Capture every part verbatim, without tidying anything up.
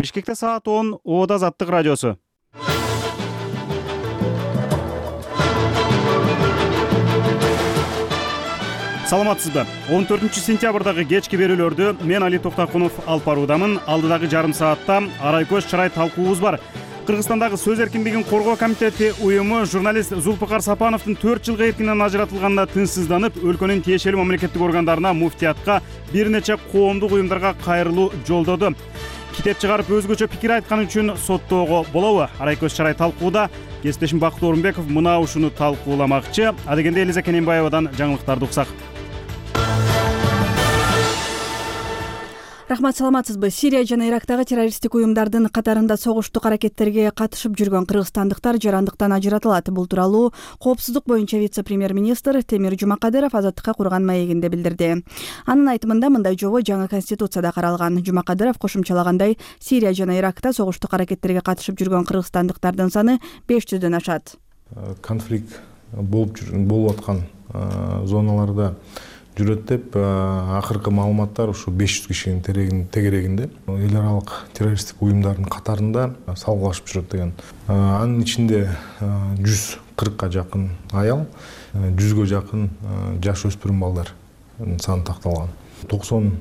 Бишкекте саат он, Ода Азаттык радиосу. Саламатсызбы? он төртүнчү сентябрдагы кечки берүүлөрдү мен Али Токтакунов алып баруудамын. Алдыдагы жарым саатта арай көз чырай талкуубуз бар. Кыргызстандагы сөз эркиндигин коргоо комитети уюму журналист Зулпукар Сапановдун төрт жылга эркинен ажыратылганына тынчсызданып, өлкөнүн тиешелүү мамлекеттик органдарына, муфтиятка, бир нече коомдук уюмдарга кайрылуу жолдоду. Китеп чыгарып өзгөчө пикир айткан үчүн соттоого болобу? Арай көз чырай талкууда кесиптешим Бакыт Орунбеков мына ушуну талкууламакчы. Адегенде Элиза Кененбаевадан жаңылыктарды уксак. Рахмат, саламатсызбы? Сирия жана Ирактагы террористтик уюмдардын катарында согуштук аракеттерге катышып жүргөн кыргызстандыктар жарандыктан ажыратылат. Бул тууралуу коопсуздук боюнча вице-премьер-министр Темир Жумакадыров Азаттыкка курган маегинде билдирди. Анын айтымында мындай жобо жаңы конституцияда каралган. Жумакадыров кошумчалагандай, Сирия жана Иракта согуштук аракеттерге катышып жүргөн кыргызстандыктардын саны беш жүздөн ашат. Конфликт болуп жүргөн болуп аткан зоналарда жүрөт деп акыркы маалыматтар ушу беш жүз кишинин тегерегинде эл аралык террористтик уюмдардын катарында салгылашып жүрөт деген. Анын ичинде жүз кыркка жакын аял, жүзгө жакын жаш өспүрүм балдар саны такталган. токсон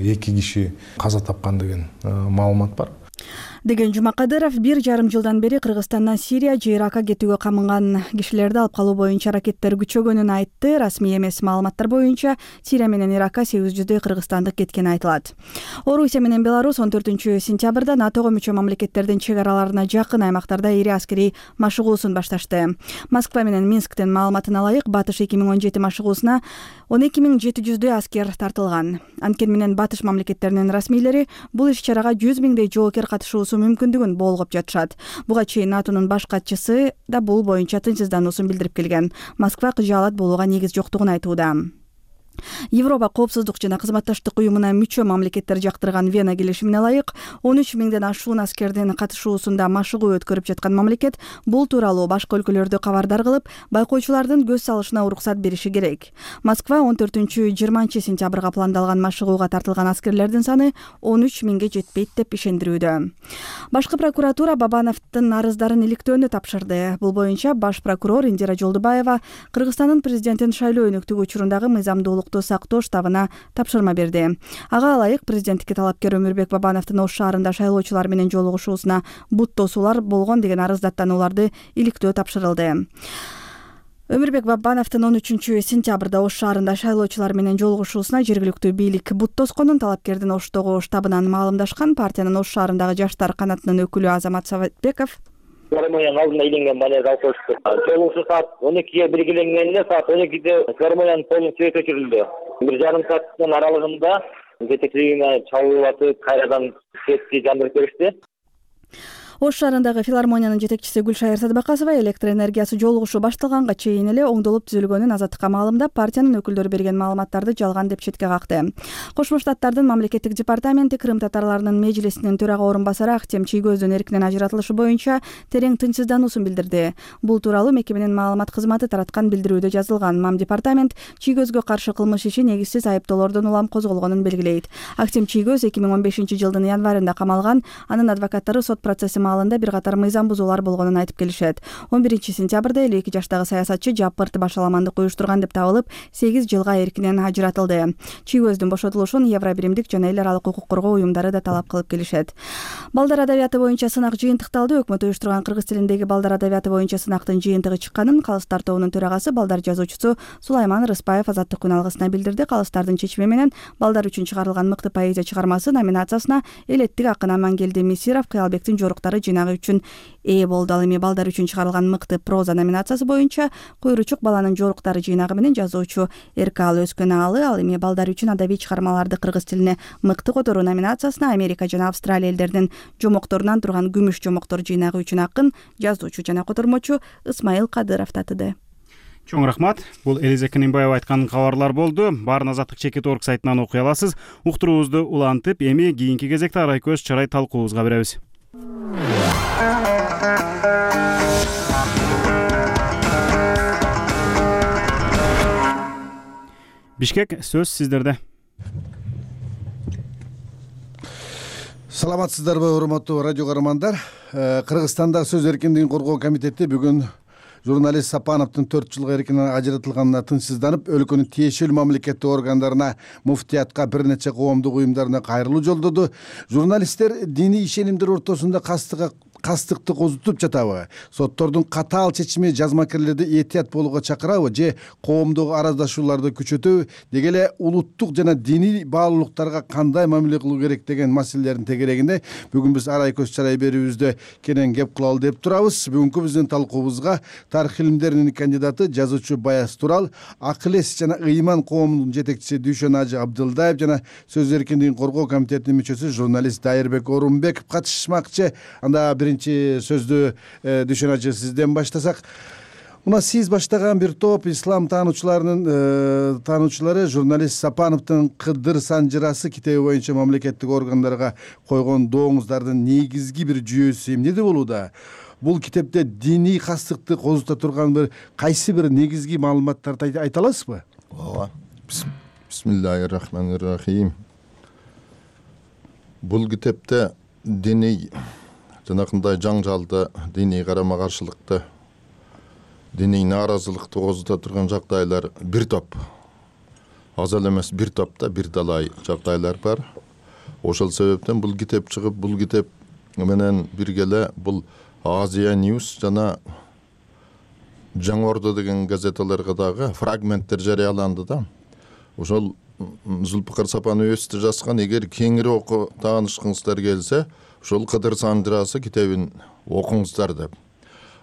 эки киши каза тапкан деген маалымат бар. Деген Жумакадыров бир жарым жылдан бери Кыргызстандан Сирия же Иракка кетүүгө камынган кишилерди алып калуу боюнча аракеттер күчөгөнүн айтты. Расмий эмес маалыматтар боюнча Сирия менен Иракка сегиз жүздөй кыргызстандык кеткени айтылат. Орусия менен Беларусь он төртүнчү сентябрда НАТОго мүчө мамлекеттердин чек араларына жакын аймактарда ири аскерий машыгуусун башташты. Москва менен Минсктин маалыматына ылайык, Батыш эки миң он жети машыгуусуна он эки миң жети жүздөй аскер тартылган. Анткени менен Батыш мамлекеттеринин расмийлери бул иш-чарага жүз миңдей жоокер катышуусу мүмкүндүгүн болгоп жатышат. Буга чейин НАТОнун баш катчысы да бул боюнча тынчсыздануусун билдирип келген. Москва кыжаалат болууга негиз жоктугун айтууда. Европа коопсуздук жана кызматташтык уюмуна мүчө мамлекеттер жактырган Вена келишимине ылайык, он үч миңден ашуун аскердин катышуусунда машыгуу өткөрүп жаткан мамлекет бул тууралуу башка өлкөлөрдү кабардар кылып, байкоочулардын көз салышына уруксат бериши керек. Москва он төртүнчү жыйырманчы сентябрга пландалган машыгууга тартылган аскерлердин саны он үч миңге жетпейт деп ишендирүүдө. Башкы прокуратура Бабановдун арыздарын иликтөөнү тапшырды. Бул боюнча баш прокурор Индира Жолдубаева Кыргызстандын президентин шайлоо өнөктүгү учурундагы мыйзамдуулук сактоо штабына тапшырма берди. Ага ылайык, президенттикке талапкер Өмүрбек Бабановдун Ош шаарында шайлоочулар менен жолугушуусуна бут тосуулар болгон деген арыз даттанууларды иликтөө тапшырылды. Өмүрбек Бабановдун он үчүнчү сентябрда Ош шаарында шайлоочулар менен жолугушуусуна жергиликтүү бийлик бут тосконун талапкердин Оштогу штабынан маалымдашкан. Партиянын Ош шаарындагы жаштар канатынын өкүлү Азамат Саватбеков Филармонияның алдында иленген балер алкошту. Жолугушуу саат он экиге белгиленгенде, саат он экиде филармонияның полун свет өчүрүлдү. Бир жарым сааттын аралыгында жетекчилигине чалуулатып, кайрадан светти жандырып беришти. Ош шаарындагы филармониянын жетекчиси Гүлшайыр Садбакасова электр энергиясы жолугушуу башталганга чейин эле оңдолуп түзүлгөнүн Азаттыкка маалымдап, партиянын өкүлдөрү берген маалыматтарды жалган деп четке какты. Кошмо Штаттардын мамлекеттик департаменти Крым татарларынын межлисинин төрага орун басары Актем Чийгөздүн эркинен ажыратылышы боюнча терең тынчсыздануусун билдирди. Бул тууралуу мекеменин маалымат кызматы тараткан билдирүүдө жазылган. Мам департамент Чийгөзгө каршы кылмыш иши негизсиз айыптоолордон улам козголгонун белгилейт. Актем Чийгөз эки миң он бешинчи жылдын январында камалган. Анын адвокаттары сот процесси маалында бир катар мыйзам бузуулар болгонун айтып келишет. он биринчи сентябрда элүү эки жаштагы саясатчы жапырт башаламандык уюштурган деп табылып, сегиз жылга эркинен ажыратылды. Чийгөздүн бошотулушун Евробиримдик жана эл аралык укук коргоо уюмдары да талап кылып келишет. Балдар адабияты боюнча сынак жыйынтыкталды. Өкмөт уюштурган кыргыз тилиндеги балдар адабияты боюнча сынактын жыйынтыгы чыкканын Калыстар тобунун төрагасы балдар жазуучусу Сулайман Рыспаев Азаттык күн алгысына билдирди. Калыстардын чечими менен балдар үчүн чыгарылган мыкты поэзия чыгармасы номинациясына элеттик акын Амангелди Мисиров Кыялбектин жоруктары жыйнагы үчүн ээ болду. Ал эми балдар үчүн чыгарылган мыкты проза номинациясы боюнча Куйручук баланын жоруктары жыйнагы менен жазуучу Эркалы Өскөн аалы, ал эми балдар үчүн адабий чыгармаларды кыргыз тилине мыкты которуу номинациясына Америка жана Австралия элдеринин жомокторунан турган күмүш жомоктор жыйнагы үчүн акын, жазуучу жана котормочу Ысмайыл Кадыров татыды. Чоң рахмат. Бул Элиза Кененбаева айткан кабарлар болду. Баарын Азаттык чекит орг сайтынан окуй аласыз. Уктуруубузду улантып, эми кийинки кезекте арай көз чырай талкуубузга беребиз. Бишкек, сөз сиздерде. Саламатсыздарбы, урматтуу радио каармандар. Кыргызстандагы сөз эркиндигин коргоо комитети бүгүн журналист Сапановдун төрт жылга эркинен ажыратылганына тынчсызданып, өлкөнүн тиешелүү мамлекеттик органдарына, муфтиятка, бир нече коомдук уюмдарына кайрылуу жолдоду. Журналисттер диний ишенимдер ортосунда кастыга кастыкты козутуп жатабы? Соттордун катаал чечими жазмакерлерди этият болууга чакырабы же коомдук араздашууларды күчөтөбү? Деги эле улуттук жана диний баалуулуктарга кандай мамиле кылуу керек деген маселелердин тегерегинде бүгүн биз арай көз чарай берүүбүздө кенен кеп кылалы деп турабыз. Бүгүнкү биздин талкуубузга тарых илимдеринин кандидаты, жазуучу Баяз Турал, Акыл эс жана ыйман коомунун жетекчиси Дүйшөн Ажы Абдылдаев жана сөз эркиндигин коргоо комитетинин мүчөсү журналист Дайырбек Орунбеков катышышмакчы. Анда биринчи сөздү Дүйшөн Ажы сизден баштасак. Мына сиз баштаган бир топ ислам таануучуларынын таануучулары журналист Сапановдун Кыдыр Санжырасы китеби боюнча мамлекеттик органдарга койгон дооңуздардын негизги бир жүйөсү эмнеде болууда? Бул китепте диний кастыкты козута турган бир кайсы бир негизги маалыматтарды айта аласызбы? Ооба. Бисмиллахир-рахманир-рахим. Бул китепте диний жанакындай жаңжалды, диний карама-каршылыкты, диний нааразылыкты козута турган жагдайлар бир топ. Аз эле эмес бир топта бир далай жагдайлар бар. Ошол себептен бул китеп чыгып, бул китеп менен биргеле бул Азия News жана Жаңы Ордо деген газеталарга дагы фрагменттер жарыяланды да. Ошол Зулпукар Сапанов өзү жазган, эгер кеңири окуу таанышкыңыздар келсе, ошол Кыдыр Санжырасы китебин окуңуздар деп.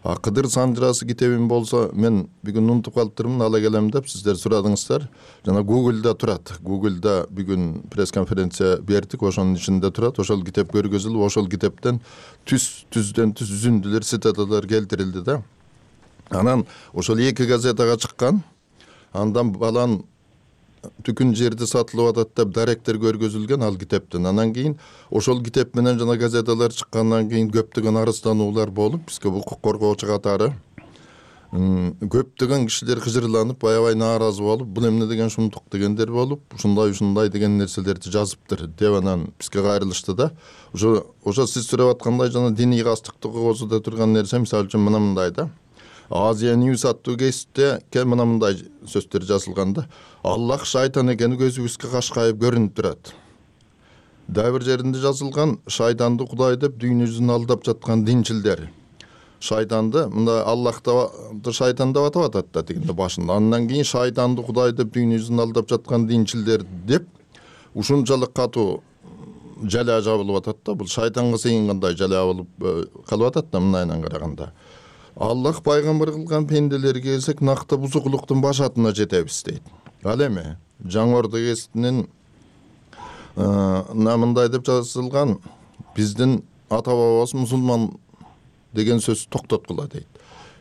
А Кыдыр Санжырасы китебин болсо, мен бүгүн унутуп калыптырмын, ала келем деп сиздер сурадыңыздар. Жана Google'да турат. Google'да бүгүн пресс-конференция бердик, ошонун ичинде турат. Ошол китеп көргөзүлүп, ошол китептен түз түздөн түз үзүндүлөр, цитаталар келтирилди да. Анан ошол эки газетага чыккан. Андан балан түкүн жерде сатылып атат деп даректер көргөзүлгөн ал китептен. Анан кийин ошол китеп менен жана газеталар чыккандан кийин көптөгөн арыздануулар болуп, бизге укук коргоочу катары көптөгөн кишилер кыжырланып, аябай нааразы болуп, бул эмне деген шумдук дегендер болуп, ушундай ушундай деген нерселерди жазыптыр деп анан бизге кайрылышты да. Ошо ошо сиз сурап аткандай жана диний кастыкты козута турган нерсе, мисалы үчүн мына мындай да. Азия News аттуу гезитте мына мындай сөздөр жазылган да. Аллах шайтан экени көзүбүзгө кашкайып көрүнүп турат. Дагы бир жеринде жазылган, шайтанды Кудай деп дүйнө жүзүн алдап жаткан динчилдер. Шайтанды мында Аллахты шайтан деп атап атат да дегенде башында. Андан кийин шайтанды Кудай деп дүйнө жүзүн алдап жаткан динчилдер деп ушунчалык катуу жалаа жабылып атат да. Бул шайтанга сыйынгандай жалаа болуп калып атат да мындайынан караганда. Аллах пайгамбар кылган пенделерге келсек, накта бузукулуктун башатына жетебиз дейт. Ал эми Жаңы Ордо гезитинин намындай деп жазылган, биздин ата бабабыз мусулман деген сөз токтоткула дейт.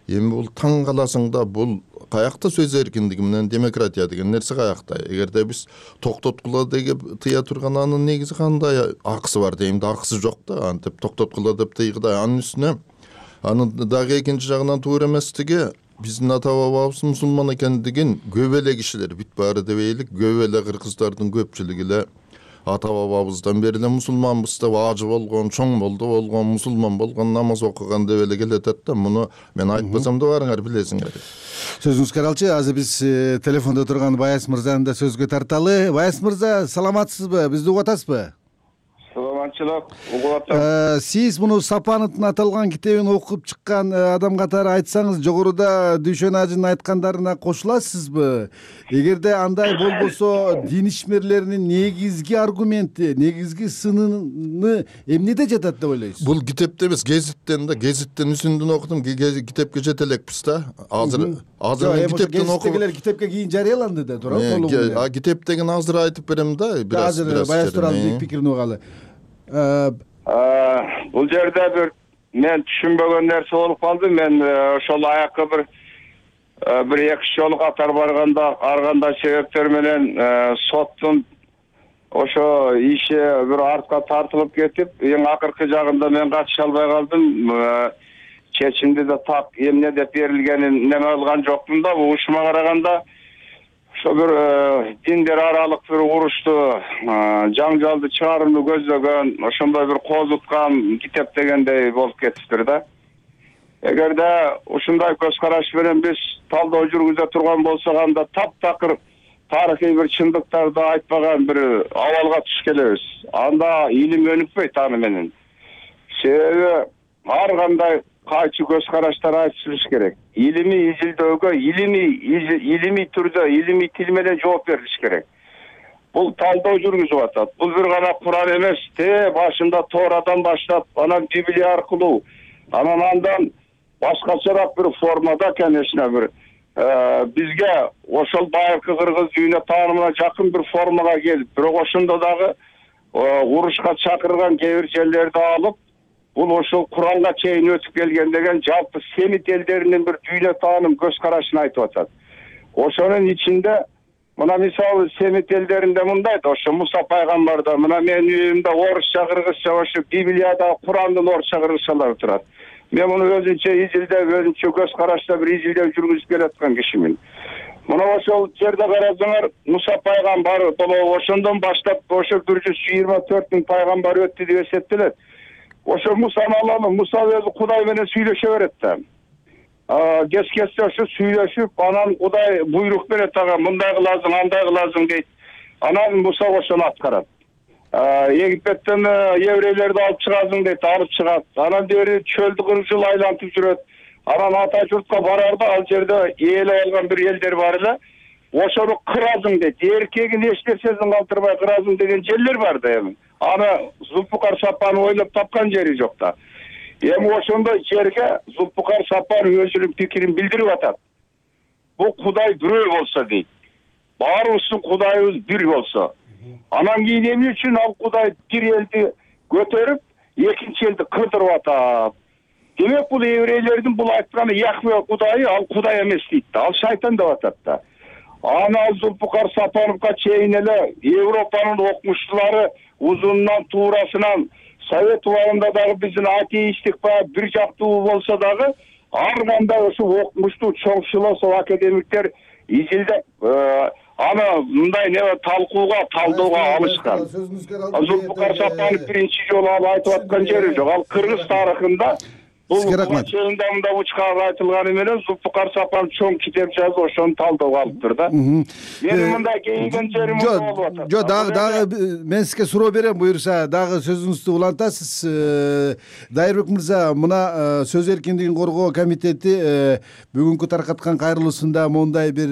Эми бул таң каласың да, бул каякта сөз эркиндиги менен демократия деген нерсе каякта? Эгерде биз токтоткула деп тыя турган анын негизи кандай акысы бар дейм да, акысы жок да, антип токтоткула деп тыйгыдай. Анын үстүнө анын дагы экинчи жагынан туура эместиги, биздин ата бабабыз мусулман экендигин көп эле кишилер, бүт баары дебейлик, көп эле кыргыздардын көпчүлүгү эле ата бабабыздан бери эле мусулманбыз деп ажы болгон, чоң болду болгон, мусулман болгон, намаз окуган деп эле келетет да. Муну мен айтпасам да барыңар билесиңер. Сөзүңүзгө каралчы, азыр биз телефондо турган Баяз мырзаны да сөзгө тарталы. Баяз мырза, саламатсызбы? Бизди угуп атасызбы? Саламатчылык, угуп атам. Сиз муну Сапановдун аталган китебин окуп чыккан адам катары айтсаңыз, жогоруда Дүйшөн Ажынын айткандарына кошуласызбы? Эгерде андай болбосо, дин ишмерлеринин негизги аргументи, негизги сынını эмнеде жатат деп ойлойсуз? Бул китепте эмес, гезиттен да, гезиттен үзүндүн окудум, китепке жете элекпиз да. Азыр азыр мен китептен окуп, гезиттегилер китепке кийин жарыяланды да, туура толугу. А китеп деген азыр айтып берем да, бираз азыр Баяз Туралдын пикирин угалы. Бул жерде бир мен түшүнбөгөн нерсе болуп калды. Мен ошол аякка бир бир эки жолу катар барганда, арганда себептер менен соттун ошо иши бир артка тартылып кетип, эң акыркы жагында мен катыша албай калдым. Чечимди да так эмне деп берилгенин неме кылган жокмун да. Ушума караганда ошо бир диндер аралык бир урушту, жаңжалды чыгарууну көздөгөн, ошондой бир козуткан китеп дегендей болуп кетиптир да. Эгерде ушундай көз караш менен биз талдоо жүргүзө турган болсок, анда таптакыр тарыхый бир чындыктарды айтпаган бир абалга түшүп келебиз. Анда илим өнүкпөйт аны менен. Себеби ар кандай кайчы көз караштар айтылыш керек. Илимий изилдөөгө илимий илимий түрдө, илимий тил менен жооп берилиш керек. Бул талдоо жүргүзүп атат. Бул бир гана Куран эмес, те башында Тоорадан баштап, анан Библия аркылуу, анан андан башкачараак бир формада, конечно, бир бизге ошол байыркы кыргыз дүйнө таанымына жакын бир формага келип, бирок ошондо дагы урушка чакырган кээ бир жерлерди алып, бул ошол Куранга чейин өтүп келген деген жалпы семит элдеринин бир дүйнө тааным көз карашын айтып атат. Ошонун ичинде мына мисалы семит элдеринде мындай да, ошо Муса пайгамбарда, мына менин үйүмдө орусча, кыргызча, ошо Библияда, Курандын орусча, кыргызчалары турат. Мен муну өзүнчө изилдеп, өзүнчө көз карашта бир изилдеп жүргүзүп келаткан кишимин. Мына ошол жерде карасаңар, Муса пайгамбар ошондон баштап ошо бир жүз жыйырма төрт миң пайгамбар өттү деп эсептелет. Ошо Мусаны алалы, Муса өзү Кудай менен сүйлөшө берет да. Кес-кесте ошо сүйлөшүп, анан Кудай буйрук берет ага, мындай кыласың, андай кыласың дейт. Анан Муса ошону аткарат. Египеттен еврейлерди алып чыгасың дейт, алып чыгат. Анан бери чөлдү кырк жыл айлантып жүрөт. Анан ата журтка барарда, ал жерде ээлеп алган бир элдер бар эле. Ошону кырасың дейт. Эркегин эч нерсесин калтырбай кырасың деген жерлер бар да эми. Аны Зулпукар Сапан ойлоп тапкан жери жок да. Эми ошондой жерге Зулпукар Сапан өзүнүн пикирин билдирип атат. Бул Кудай бирөө болсо дейт. Баарыбыздын Кудайыбыз бир болсо. Анан кийин эмне үчүн ал Кудай бир элди көтөрүп, экинчи элди кырдырып атат? Демек бул еврейлердин бул айтканы Яхве Кудайы, ал Кудай эмес дейт да. Ал шайтан деп атат да. Аны Зулпукар Сапановго чейин эле Европанын окумуштуулары узунунан туурасынан Совет убагында дагы биздин атеисттик баягы бир жактуу болсо дагы, ар кандай ошо окумуштуу чоң философ, академиктер изилдеп аны мындай не талкууга, талдоого алышкан. Зулпукар Сапанов биринчи жолу алып айтып аткан жери жок. Ал кыргыз тарыхында бул чейинде мында учкага айтылганы менен Зулпукар Сапанов чоң китеп жазып, ошону талдоого алыптыр да. Менин мындай кейиген жерим болуп атат. Жок, дагы дагы мен сизге суроо берем, буюрса, дагы сөзүңүздү улантасыз. Дайырбек мырза, мына сөз эркиндигин коргоо комитети бүгүнкү таркаткан кайрылуусунда мондай бир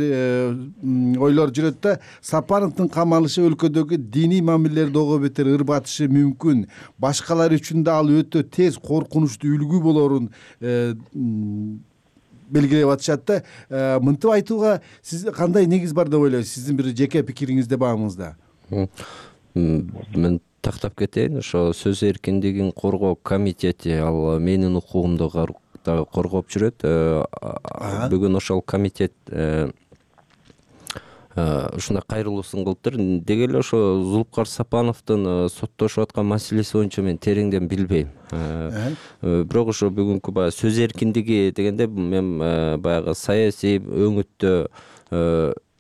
ойлор жүрөт да. Сапановдун камалышы өлкөдөгү диний мамилелер дого бетер ырбатышы мүмкүн. Башкалар үчүн да ал өтө тез коркунучтуу үлгү болорун белгилеп атышат да. Мынтип айтууга сиз кандай негиз бар деп ойлойсуз? Сиздин бир жеке пикириңизде бааңызда. Мен тактап кетейин. Ошо сөз эркиндигин коргоо комитети ал менин укугумду дагы коргоп жүрөт. Бүгүн ошол комитет ушундай кайрылуусун кылыптыр. Деги эле ошо Зулпукар Сапановдун соттошуп аткан маселеси боюнча мен тереңден билбейм. Бирок ошо бүгүнкү баягы сөз эркиндиги дегенде мен баягы саясий өңүттө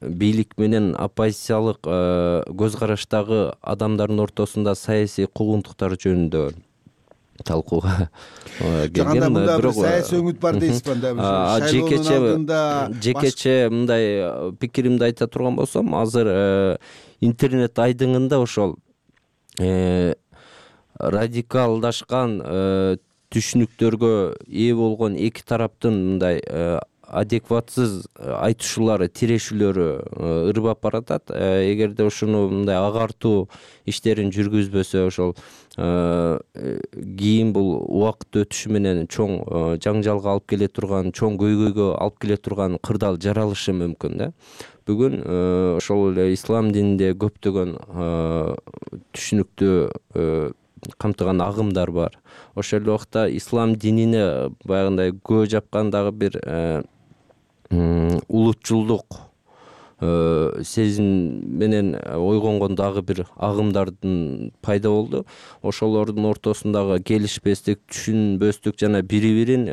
бийлик менен оппозициялык көз караштагы адамдардын ортосунда саясий куугунтуктар жөнүндө талкууга келген. Бирок саясий өңүт бар дейсизби анда? Жекече жекече мындай пикиримди айта турган болсом, азыр интернет айдыңында ошол радикалдашкан түшүнүктөргө ээ болгон эки тараптын мындай адекватсыз айтышуулары, тирешүүлөрү ырбап баратат. Эгерде ушуну мындай агартуу иштерин жүргүзбөсө, ошол кийин бул убакыт өтүшү менен чоң жаңжалга алып келе турган, чоң көйгөйгө алып келе турган кырдаал жаралышы мүмкүн да. Бүгүн ошол эле ислам дининде көптөгөн түшүнүктүү камтыган агымдар бар. Ошол эле убакта ислам динине баягындай көө жапкан дагы бир улутчулдук сезим менен ойгонгон дагы бир агымдардын пайда болду. Ошолордун ортосундагы келишпестик, түшүнбөстүк жана бири-бирин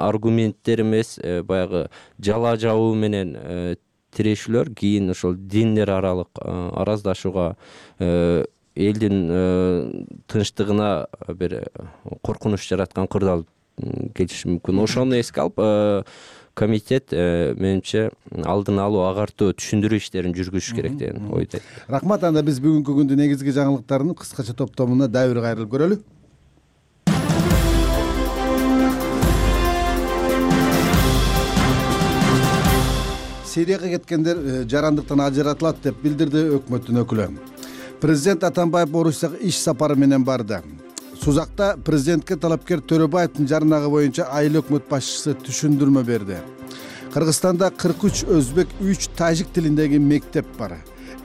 аргументтер эмес, баягы жала жабуу менен тирешүүлөр кийин ошол диндер аралык араздашууга, элдин тынчтыгына бир коркунуч жараткан кырдаал келиши мүмкүн. Ошону эске алып комитет менимче алдын алуу, агартуу, түшүндүрүү иштерин жүргүзүш керек деген ойдойм. Рахмат. Анда биз бүгүнкү күндүн негизги жаңылыктарын кыскача топтомуна дагы бир кайрылып көрөлү. Сирияга кеткендер жарандыктан ажыратылат деп билдирди өкмөттүн өкүлү. Президент Атамбаев Орусияга иш сапары менен барды. Сузакта президентке талапкер Төрөбаевдин жаранагы боюнча айыл өкмөт башчысы түшүндүрмө берди. Кыргызстанда кырк үч өзбек, үч тажик тилиндеги мектеп бар.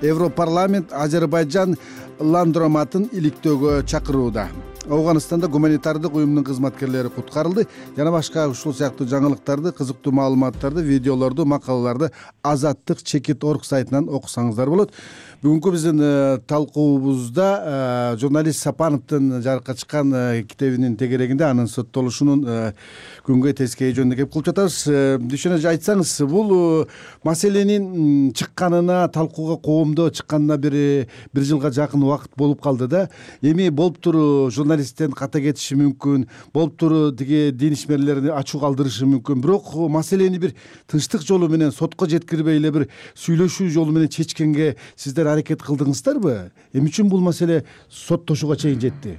Европарламент Азербайжан ландроматын иликтөөгө чакырууда. Афганистанда гуманитардык уюмдун кызматкерлери куткарылды. Жана башка ушул сыяктуу жаңылыктарды, кызыктуу маалыматтарды, видеолорду, макалаларды Азаттык чекит точка орг сайтынан окусаңыздар болот. Бүгүнкү биздин талкуубузда журналист Сапановдун жарыкка чыккан китебинин тегерегинде анын соттолушунун күнгө тескей жөнүндө кеп кылып жатабыз. Дүйшөн эже, айтсаңыз, бул маселенин чыкканына, талкууга коомдо чыкканына бир бир жылга жакын убакыт болуп калды да. Эми болуптур журналисттен ката кетиши мүмкүн, болуптур тиги дин ишмерлерди ачуу калтырышы мүмкүн. Бирок маселени бир тынчтык жолу менен, сотко жеткирбей эле бир сүйлөшүү жолу менен чечкенге сиздер аракет кылдыңыздарбы? Эмне үчүн бул маселе соттошууга чейин жетти?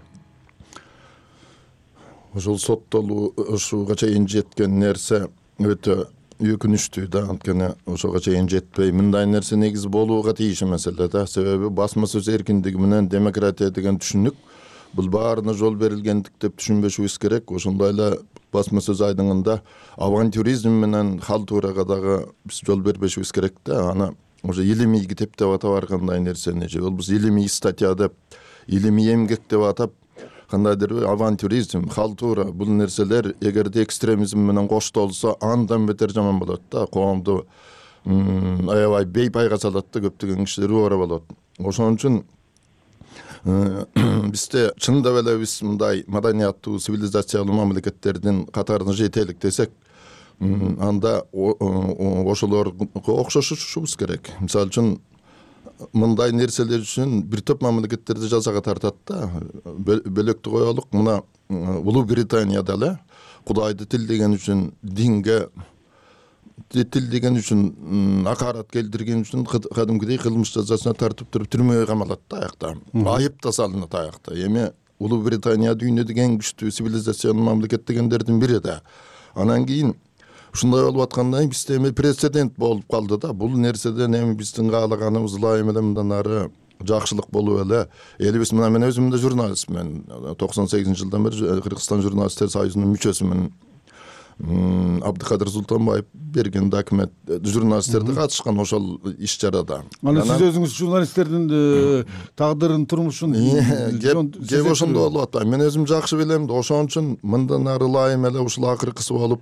Ошол соттолушууга чейин жеткен нерсе өтө өкүнүчтүү да. Анткени ошого чейин жетпей мындай нерсе негизи болууга тийиш маселе да. Себеби басма сөз эркиндиги менен демократия деген түшүнүк бул баарына жол берилгендик деп түшүнбөшүбүз керек. Ошондой эле басма сөз айдыңында авантюризм менен халтурага дагы биз жол бербешибиз керек да. Аны уже илимий китеп деп атап баргандай нерсени же болбосо илимий статья деп, илимий эмгек деп атап кандайдыр авантюризм, халтура бул нерселер эгерде экстремизм менен коштолсо андан бетер жаман болот да. Коомду аябай бейпайга салат да, көптөгөн кишилер убара болот. Ошон үчүн бизде чындап эле биз мындай маданияттуу, цивилизациялуу мамлекеттердин катарына жетелик десек, анда ошолорго окшошушубуз керек. Мисалы үчүн мындай нерселер үчүн бир топ мамлекеттерди жазага тартат да. Бөлөктү коелук, мына Улуу Британияда эле Кудайды тилдеген үчүн, динге тилдеген үчүн, акарат келтирген үчүн кадимкидей кылмыш жазасына тартып туруп түрмөгө камалат да аякта. Айып да салынат аякта. Эми Улуу Британия дүйнөдөгү эң күчтүү цивилизациялуу мамлекет дегендердин бири да. Анан кийин ушундай болуп аткандан кийин бизде эми прецедент болуп калды да. Бул нерседен эми биздин каалаганыбыз ылайым эле мындан ары жакшылык болуп эле. Элибиз мына мен өзүм да журналистмин. токсон сегизинчи жылдан бери Кыргызстан журналисттер союзунун мүчөсүмүн. Абдыкадыр Султанбаев берген документ журналисттерди катышкан ошол иш чарада. Аны сиз өзүңүз журналисттердин тагдырын, турмушун кеп ошондо болуп атат. Мен өзүм жакшы билем да. Ошон үчүн мындан ары ылайым эле ушул акыркысы болуп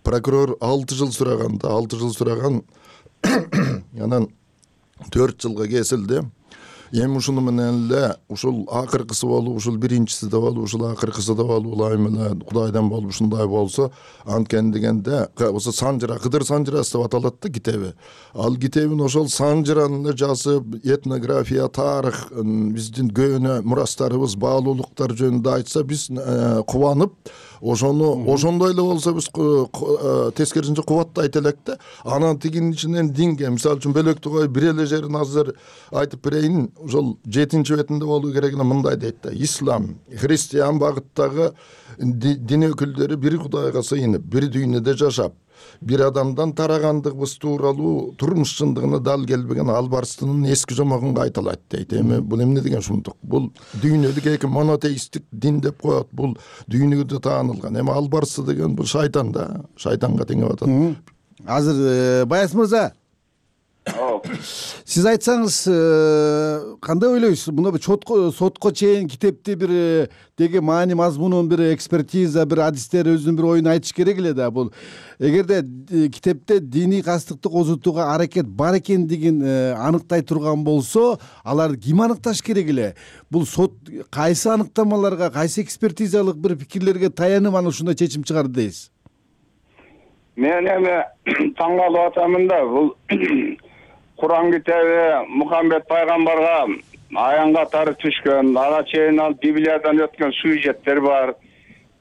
прокурор алты жыл сураган да, алты жыл сураган. Анан төрт жылга кесилди. Эми ушуну менен эле ушул акыркысы болуп, ушул биринчиси да болуп, ушул акыркысы да болуп, ылайым эле Кудайдан болуп ушундай болсо, анткени дегенде осы Санжыра, Кыдыр Санжырасы деп аталат да китеби. Ал китебин ошол Санжыраны жазып, этнография, тарых, биздин көөнө мурастарыбыз, баалуулуктар жөнүндө айтса, биз кубанып, ошону ошондой эле болсо биз тескерисинче кубаттайт элек да. Анан тигинин ичинен динге, мисалы үчүн бөлөктү коюп бир эле жерин азыр айтып берейин. Ошол жетинчи бетинде болуу керек эле мындай дейт да. Ислам, христиан багыттагы дин өкүлдөрү бир Кудайга сыйынып, бир дүйнөдө жашап, бир адамдан тарагандыгыбыз тууралуу турмуш чындыгына дал келбеген Албарстынын эски жомогун айталат дейт. Эми бул эмне деген шумдук? Бул дүйнөдөгү эки монотеисттик дин деп коет. Бул дүйнөдө таанылган. Эми Албарсы деген бул шайтан да. Шайтанга теңеп атат. Азыр Баяс мырза, сиз айтсаңыз, кандай ойлойсуз? Муну чотко сотко чейин китепти бир деги маани мазмунун бир экспертиза, бир адистер өзүнүн бир оюн айтыш керек эле да. Бул эгерде китепте диний кастыкты козутууга аракет бар экендигин аныктай турган болсо, аларды ким аныкташ керек эле? Бул сот кайсы аныктамаларга, кайсы экспертизалык бир пикирлерге таянып аны ушундай чечим чыгарды дейсиз? мен эми таң калып атамын да, бул Куран китеби Мухаммед пайгамбарга аян катары түшкөн, ага чейин ал Библиядан өткөн сюжеттер бар.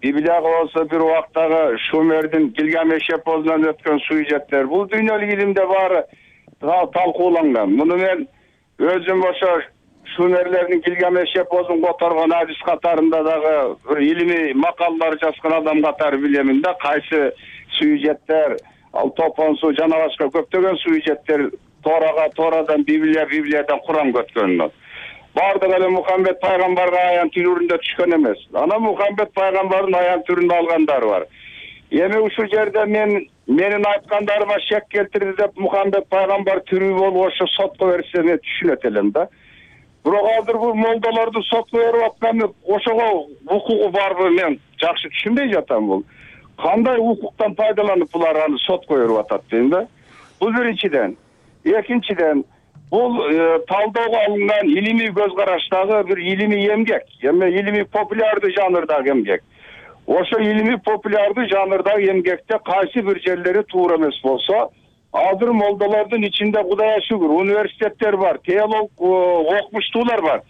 Библияга болсо бир убактагы Шумердин Гилгамеш эпосунан өткөн сюжеттер. Бул дүйнөлүк илимде баары талкууланган. Муну мен өзүм ошо Шумерлердин Гилгамеш эпосун которгон адис катарында дагы бир илимий макалалар жазган адам катары билемин да, кайсы сюжеттер, ал топон суу жана башка көптөгөн сюжеттер Торага, Торадан Библия, Библиядан Куран көткөнүнөн. Бардыгы эле Мухаммед пайгамбарга аян түрүндө түшкөн эмес. Анан Мухаммед пайгамбардын аян түрүндө алгандары бар. Эми ушул жерде мен менин айткандарыма шек келтирди деп Мухаммед пайгамбар тирүү болуп ошо сотко берсе мен түшүнөт элем да. Бирок азыр бул молдолорду сотко берип атканы ошого укугу барбы, мен жакшы түшүнбөй жатам. Бул кандай укуктан пайдаланып булар аны сотко берип атат дейм да. Бул биринчиден. Экинчиден, бул талоого алынган илимий көз караштагы бир илимий эмгек, эми илимий популярдуу жанрдагы эмгек. Ошо илимий популярдуу жанрдагы эмгекте кайсы бир жерлери туура эмес болсо, азыр молдолордун ичинде Кудайга шүгүр университеттер бар, теолог окумуштуулар бар.